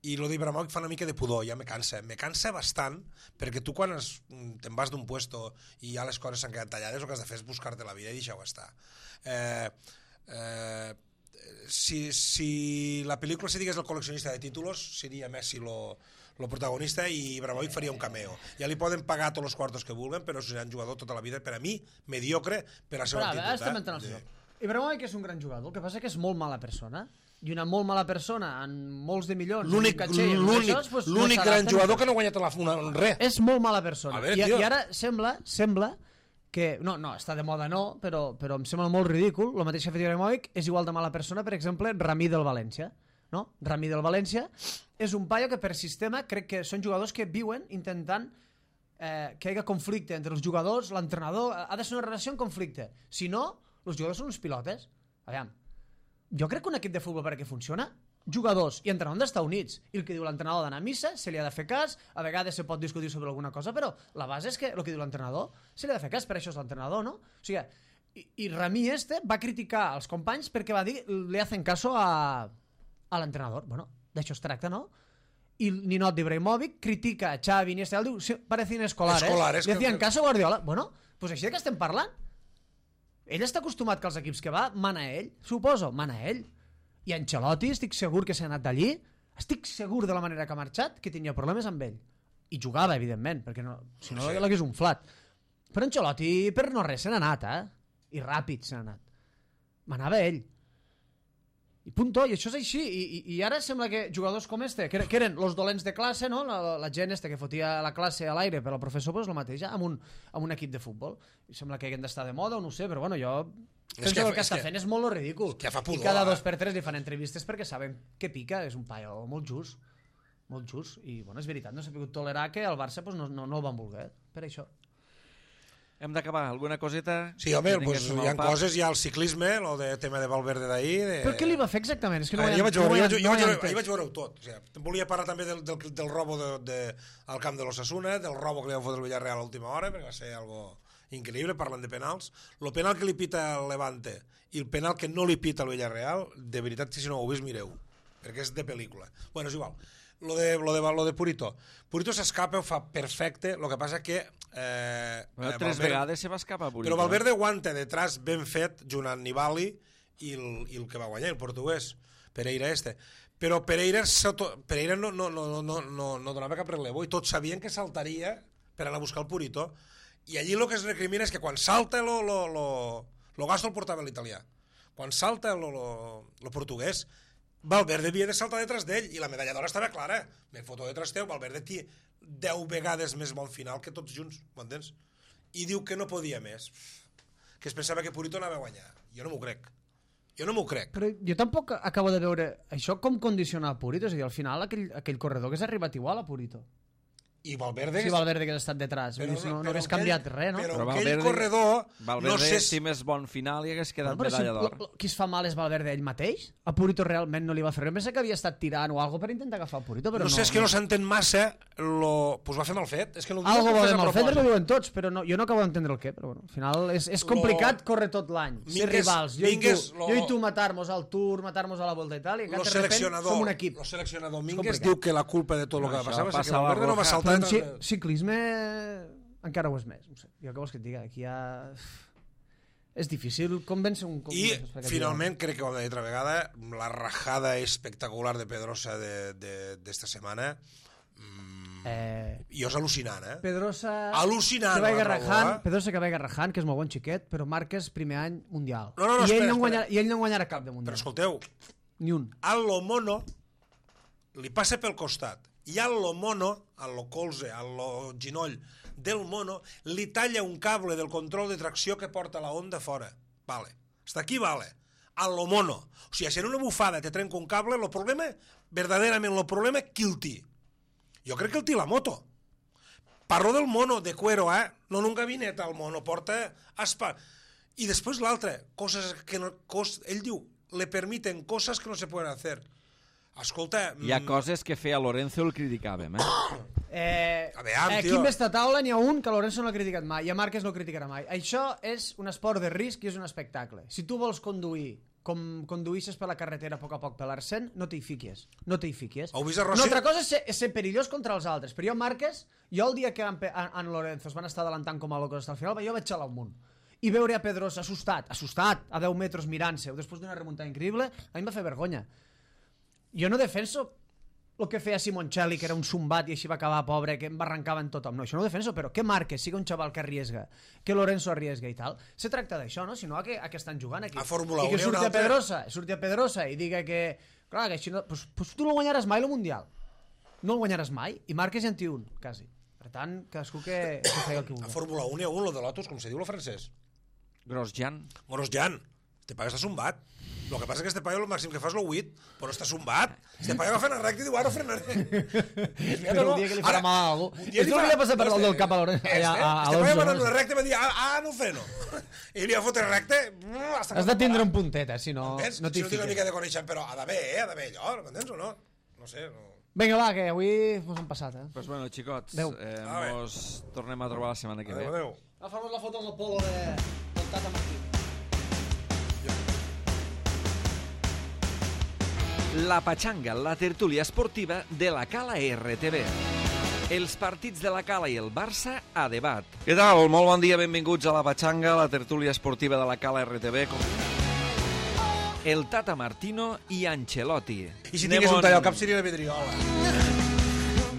Speaker 2: I lo d'Ibrahimovic fa una mica de pudor, ja me cansa. Me cansa bastant, perquè tu quan es, te'n vas d'un puesto i ja les coses s'han quedat tallades, el que has de fer és buscar-te la vida i deixar-ho estar. Eh, eh, si, si la pel·lícula se digués el col·leccionista de títulos, seria Messi lo, lo protagonista i Ibrahimovic faria un cameo. Ja li poden pagar tots els quartos que vulguen, però serà un jugador tota la vida, per a mi, mediocre per la seva
Speaker 3: Però,
Speaker 2: actitud.
Speaker 3: estem entrant al joc. Ibrahimovic és un gran jugador, el que passa que és molt mala persona, i una molt mala persona en molts de milions,
Speaker 2: L'únic l'únic pues, no gran jugador que no ha guanyat la, una, res.
Speaker 3: És molt mala persona.
Speaker 2: Veure,
Speaker 3: I,
Speaker 2: tio.
Speaker 3: I ara sembla, sembla que... No, no, està de moda no, però, però em sembla molt ridícul. El mateix que ha fet Ibrahimovic és igual de mala persona, per exemple, Rami del València. No? Rami del València és un paio que per sistema crec que són jugadors que viuen intentant eh, que hi hagi conflicte entre els jugadors, l'entrenador, ha de ser una relació en conflicte. Si no, els jugadors són uns pilotes. Aviam, jo crec que un equip de futbol perquè funciona, jugadors i entrenador han d'estar units, i el que diu l'entrenador d'anar a missa se li ha de fer cas, a vegades se pot discutir sobre alguna cosa, però la base és que el que diu l'entrenador se li ha de fer cas, per això és l'entrenador, no? O sigui, i, i Rami este va criticar els companys perquè va dir le hacen caso a, a l'entrenador. Bueno, d'això es tracta, no? I el ninot d'Ibrahimovic critica a Xavi, Iniesta, diu, sí, parecen escolares,
Speaker 2: Escolares,
Speaker 3: le hacían
Speaker 2: que-
Speaker 3: caso a Guardiola. Bueno, pues així de què estem parlant? Ell està acostumat que els equips que va mana ell, suposo, mana ell. I Ancelotti, estic segur que s'ha anat d'allí, estic segur de la manera que ha marxat, que tenia problemes amb ell. I jugava, evidentment, perquè no, si no
Speaker 2: Sí.
Speaker 3: l'hagués un flat. Però Ancelotti per no res se n'ha anat, eh? I ràpid se n'ha anat. Manava ell. I punto, i això és així. I, i, i ara sembla que jugadors com este, que, que eren els dolents de classe, no? la, la gent este que fotia la classe a l'aire per al professor, pues el mateix, amb un, amb un equip de futbol. I sembla que haguem d'estar de moda o no ho sé, però bueno, jo penso que, que el que
Speaker 2: és
Speaker 3: està
Speaker 2: que-
Speaker 3: fent és molt ridícul.
Speaker 2: que fa pudor,
Speaker 3: I cada
Speaker 2: eh?
Speaker 3: dos per tres li fan entrevistes perquè saben que pica, és un paio molt just. Molt just. I bueno, és veritat, no s'ha pogut tolerar que el Barça pues, no, no, no el van voler, per això.
Speaker 1: Hem d'acabar. Alguna coseta?
Speaker 2: Sí, home,
Speaker 1: Que
Speaker 2: pues,
Speaker 1: tinguéssim
Speaker 2: hi ha
Speaker 1: al pap?
Speaker 2: coses, hi ha el ciclisme, el de tema de Valverde d'ahir... De...
Speaker 3: Però què li va fer exactament? És que no
Speaker 2: A
Speaker 3: ho
Speaker 2: veure,
Speaker 3: he-
Speaker 2: jo vaig
Speaker 3: no ho
Speaker 2: veure,
Speaker 3: he-
Speaker 2: jo, jo,
Speaker 3: no ho he
Speaker 2: vaig veure,
Speaker 3: entès.
Speaker 2: ahir vaig veure-ho tot. O sigui, volia parlar també del, del, del robo de, de, al camp de l'Osasuna, del robo que li van fotre el Villarreal a l'última hora, perquè va ser algo increïble, parlant de penals. El penal que li pita el Levante i el penal que no li pita el Villarreal, de veritat, si no ho heu vist, mireu. perquè és de pel·lícula. Bueno, és igual. Lo de, lo de, lo de Purito. Purito s'escapa, ho fa perfecte, el que passa que... Eh,
Speaker 1: Bueno,
Speaker 2: eh,
Speaker 1: tres
Speaker 2: Valverde,
Speaker 1: vegades se va escapar Purito.
Speaker 2: però Valverde aguanta detrás ben fet junt amb Nibali i el, i el que va guanyar, el portuguès, Pereira este. Però Pereira, Pereira no, no, no, no, no, no donava cap relevo i tots sabien que saltaria per anar a buscar el Purito. I allí el que es recrimina és que quan salta lo, lo, lo, lo gasto el portava l'italià. Quan salta lo, lo, lo portuguès, Valverde havia de saltar detrás d'ell i la medalla d'or estava clara. Me foto detrás teu, Valverde té deu vegades més bon final que tots junts, m'entens? I diu que no podia més. Que es pensava que Purito anava a guanyar. Jo no m'ho crec. Jo no m'ho crec.
Speaker 3: Però jo tampoc acabo de veure això com condiciona a Purito. És a dir, al final aquell, aquell corredor que s'ha arribat igual a Purito.
Speaker 2: I Valverde...
Speaker 3: Sí, Valverde que ha estat detrás. Però, no, no hagués canviat res, no?
Speaker 2: Però
Speaker 1: Però
Speaker 2: aquell
Speaker 1: Valverde-
Speaker 2: corredor...
Speaker 1: Valverde,
Speaker 2: no sé
Speaker 1: si més bon final i hagués quedat
Speaker 3: Bueno, però
Speaker 1: medalla
Speaker 3: si,
Speaker 1: d'or.
Speaker 3: lo- lo- qui es fa mal és Valverde ell mateix? A Purito realment no li va fer res. Em pensa que havia estat tirant o algo per intentar agafar el Purito, però
Speaker 2: No
Speaker 3: no.
Speaker 2: sé, és que no s'entén massa lo... Pues va fer mal fet. És que no ho diu
Speaker 3: Algo
Speaker 2: que
Speaker 3: va
Speaker 2: fes
Speaker 3: de
Speaker 2: a
Speaker 3: mal fet,
Speaker 2: propòsit.
Speaker 3: ho diuen tots, però no, jo no acabo d'entendre el què. Però bueno, al final és, és complicat
Speaker 2: Lo-
Speaker 3: córrer tot l'any. Ser
Speaker 2: Mingues-
Speaker 3: rivals. Jo,
Speaker 2: Mingues,
Speaker 3: i tu,
Speaker 2: lo-
Speaker 3: jo i tu matar-nos al Tour, matar-nos a la Volta i tal, i
Speaker 2: Lo
Speaker 3: de repente
Speaker 2: seleccionador,
Speaker 3: som un equip.
Speaker 2: lo seleccionador Mingues
Speaker 3: complicat.
Speaker 2: diu que la culpa de tot el que
Speaker 1: Això
Speaker 2: passava és que
Speaker 1: passa a la
Speaker 2: Valverde no va
Speaker 1: Roja.
Speaker 2: saltar...
Speaker 3: Però en
Speaker 2: detrás
Speaker 3: ci
Speaker 2: de-
Speaker 3: ciclisme encara ho és més. No sé. Jo què vols que et diga? Aquí hi ha... És difícil convèncer un...
Speaker 2: I finalment crec que ho hem de dir altra vegada, la rajada espectacular de Pedrosa d'esta setmana mm,
Speaker 3: Eh,
Speaker 2: i és al·lucinant, eh?
Speaker 3: Pedrosa...
Speaker 2: Al·lucinant,
Speaker 3: que va
Speaker 2: la
Speaker 3: Garrahan,
Speaker 2: trobo, eh?
Speaker 3: Pedrosa que va Garrahan, que és molt bon xiquet, però Marquez primer any mundial.
Speaker 2: No, no, no,
Speaker 3: I, ell
Speaker 2: espera,
Speaker 3: no
Speaker 2: espera.
Speaker 3: guanyarà, I ell no guanyarà cap de mundial.
Speaker 2: Però escolteu,
Speaker 3: Ni un.
Speaker 2: a lo mono li passa pel costat i a lo mono, a lo colze, a lo ginoll del mono, li talla un cable del control de tracció que porta la onda fora. Vale. Hasta aquí vale. A lo mono. O sigui, si en una bufada te trenca un cable, el problema, verdaderament el problema, qui el té? Jo crec que el té la moto. Parlo del mono de cuero, eh? No en un gabinet, el mono porta aspa. I després l'altre, coses que no... Cos, ell diu, le permiten cosas que no se pueden hacer. Escolta...
Speaker 1: Hi ha
Speaker 2: mm,
Speaker 1: coses que feia Lorenzo el criticàvem, eh?
Speaker 3: Eh,
Speaker 2: A veure,
Speaker 3: aquí
Speaker 2: tio.
Speaker 3: en esta taula n'hi ha un que Lorenzo no ha criticat mai i a Marquez no el criticarà mai. Això és un esport de risc i és un espectacle. Si tu vols conduir com conduïssis per la carretera a poc a poc per l'Arsent, no t'hi fiques. No t'hi fiques.
Speaker 2: Heu vist a Rossi?
Speaker 3: Una altra cosa és ser, és ser perillós contra els altres. Però jo, Marquez, jo el dia que en, en, en Lorenzo es van estar adelantant com a locos fins al final, jo vaig xalar un munt. I veure a Pedrosa assustat, assustat, a deu metres mirant-se, després d'una remuntada increïble, a mi em va fer vergonya. Jo no defenso el que feia Simoncelli, que era un zumbat i així va acabar pobre, que em barrancava en tothom. No, això no ho defenso, però que Marquez siga un xaval que arriesga, que Lorenzo arriesga i tal, se tracta d'això, no? Si no, a què, a què estan jugant aquí?
Speaker 2: A Fórmula
Speaker 3: I que
Speaker 2: un hi ha
Speaker 3: surti
Speaker 2: un
Speaker 3: a
Speaker 2: altre.
Speaker 3: Pedrosa, surti a Pedrosa i diga que... Clar, que així no... Pues, pues tu no guanyaràs mai el Mundial. No el guanyaràs mai. I Marquez ja en té un, quasi. Per tant, cadascú que, que feia el que
Speaker 2: A
Speaker 3: vulgui.
Speaker 2: Fórmula un hi ha un, lo de Lotus, com se diu lo francès.
Speaker 1: Grosjean.
Speaker 2: Grosjean. Este paio està zumbat. El que passa és que este paio el màxim que fa és el huit, però està zumbat. Este paio agafa en recte i diu, ara frenaré.
Speaker 3: Però un dia que li farà mal a algú.
Speaker 2: un dia li
Speaker 3: Esto
Speaker 2: fa-
Speaker 3: li va passar per
Speaker 2: no,
Speaker 3: dalt del
Speaker 2: este-
Speaker 3: cap a Lorenzo.
Speaker 2: este-
Speaker 3: a- a- a
Speaker 2: Este paio
Speaker 3: Alonso,
Speaker 2: va anar en
Speaker 3: no?
Speaker 2: una recta i va dir, ah, ah, no freno. I li va fotre recte. Hasta
Speaker 3: Has de tindre un puntet, eh? Si no,
Speaker 2: Entens?
Speaker 3: no
Speaker 2: si
Speaker 3: t'hi
Speaker 2: no tinc una
Speaker 3: fiques.
Speaker 2: mica de coneixement, però ha d'haver, eh? Ha d'haver allò, m'entens o no? No sé, no...
Speaker 3: Vinga, va, que avui mos hem passat, eh?
Speaker 1: Pues bueno, xicots,
Speaker 3: Adéu.
Speaker 1: eh,
Speaker 2: A veure.
Speaker 1: mos tornem a trobar la setmana que ve.
Speaker 2: Adéu, adéu.
Speaker 3: Agafa'm la foto amb el polo de... del Tata Martí.
Speaker 1: La Pachanga, la tertúlia esportiva de la Cala R T V. Els partits de la Cala i el Barça a debat. Què tal? Molt bon dia, benvinguts a la Pachanga, la tertúlia esportiva de la Cala R T V. Com... El Tata Martino i Ancelotti.
Speaker 2: I si
Speaker 1: Anem
Speaker 2: tingués un
Speaker 1: on-
Speaker 2: tall al cap seria la vidriola.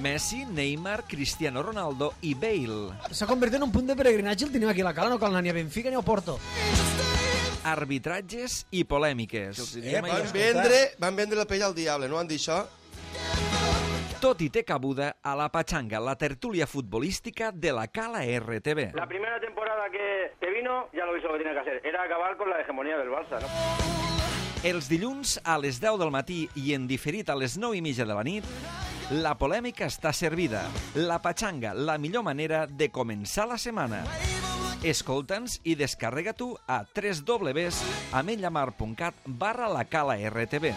Speaker 1: Messi, Neymar, Cristiano Ronaldo i Bale.
Speaker 3: S'ha convertit en un punt de peregrinatge, el tenim aquí a la Cala, no cal anar ni a Benfica ni a Porto.
Speaker 1: Arbitratges i polèmiques.
Speaker 2: Eh,
Speaker 4: Van
Speaker 2: Escolta.
Speaker 4: vendre, van vendre la pell al diable, no han dit això?
Speaker 1: Tot i té cabuda a la Pachanga, la tertúlia futbolística de la Cala R T V.
Speaker 5: La primera temporada que, que vino, ya lo hizo lo que tenía que hacer. Era acabar con la hegemonía del Barça, ¿no?
Speaker 1: Els dilluns a les deu del matí i en diferit a les nou i mitja de la nit, la polèmica està servida. La Pachanga, la millor manera de començar la setmana. Escolta'ns i descarrega tu a w w w punt ametlllamar punt cat barra la Cala R T V.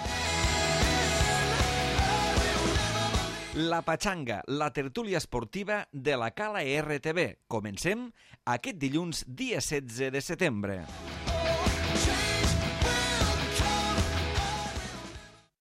Speaker 1: La Pachanga, la tertúlia esportiva de la Cala R T V. Comencem aquest dilluns, dia setze de setembre.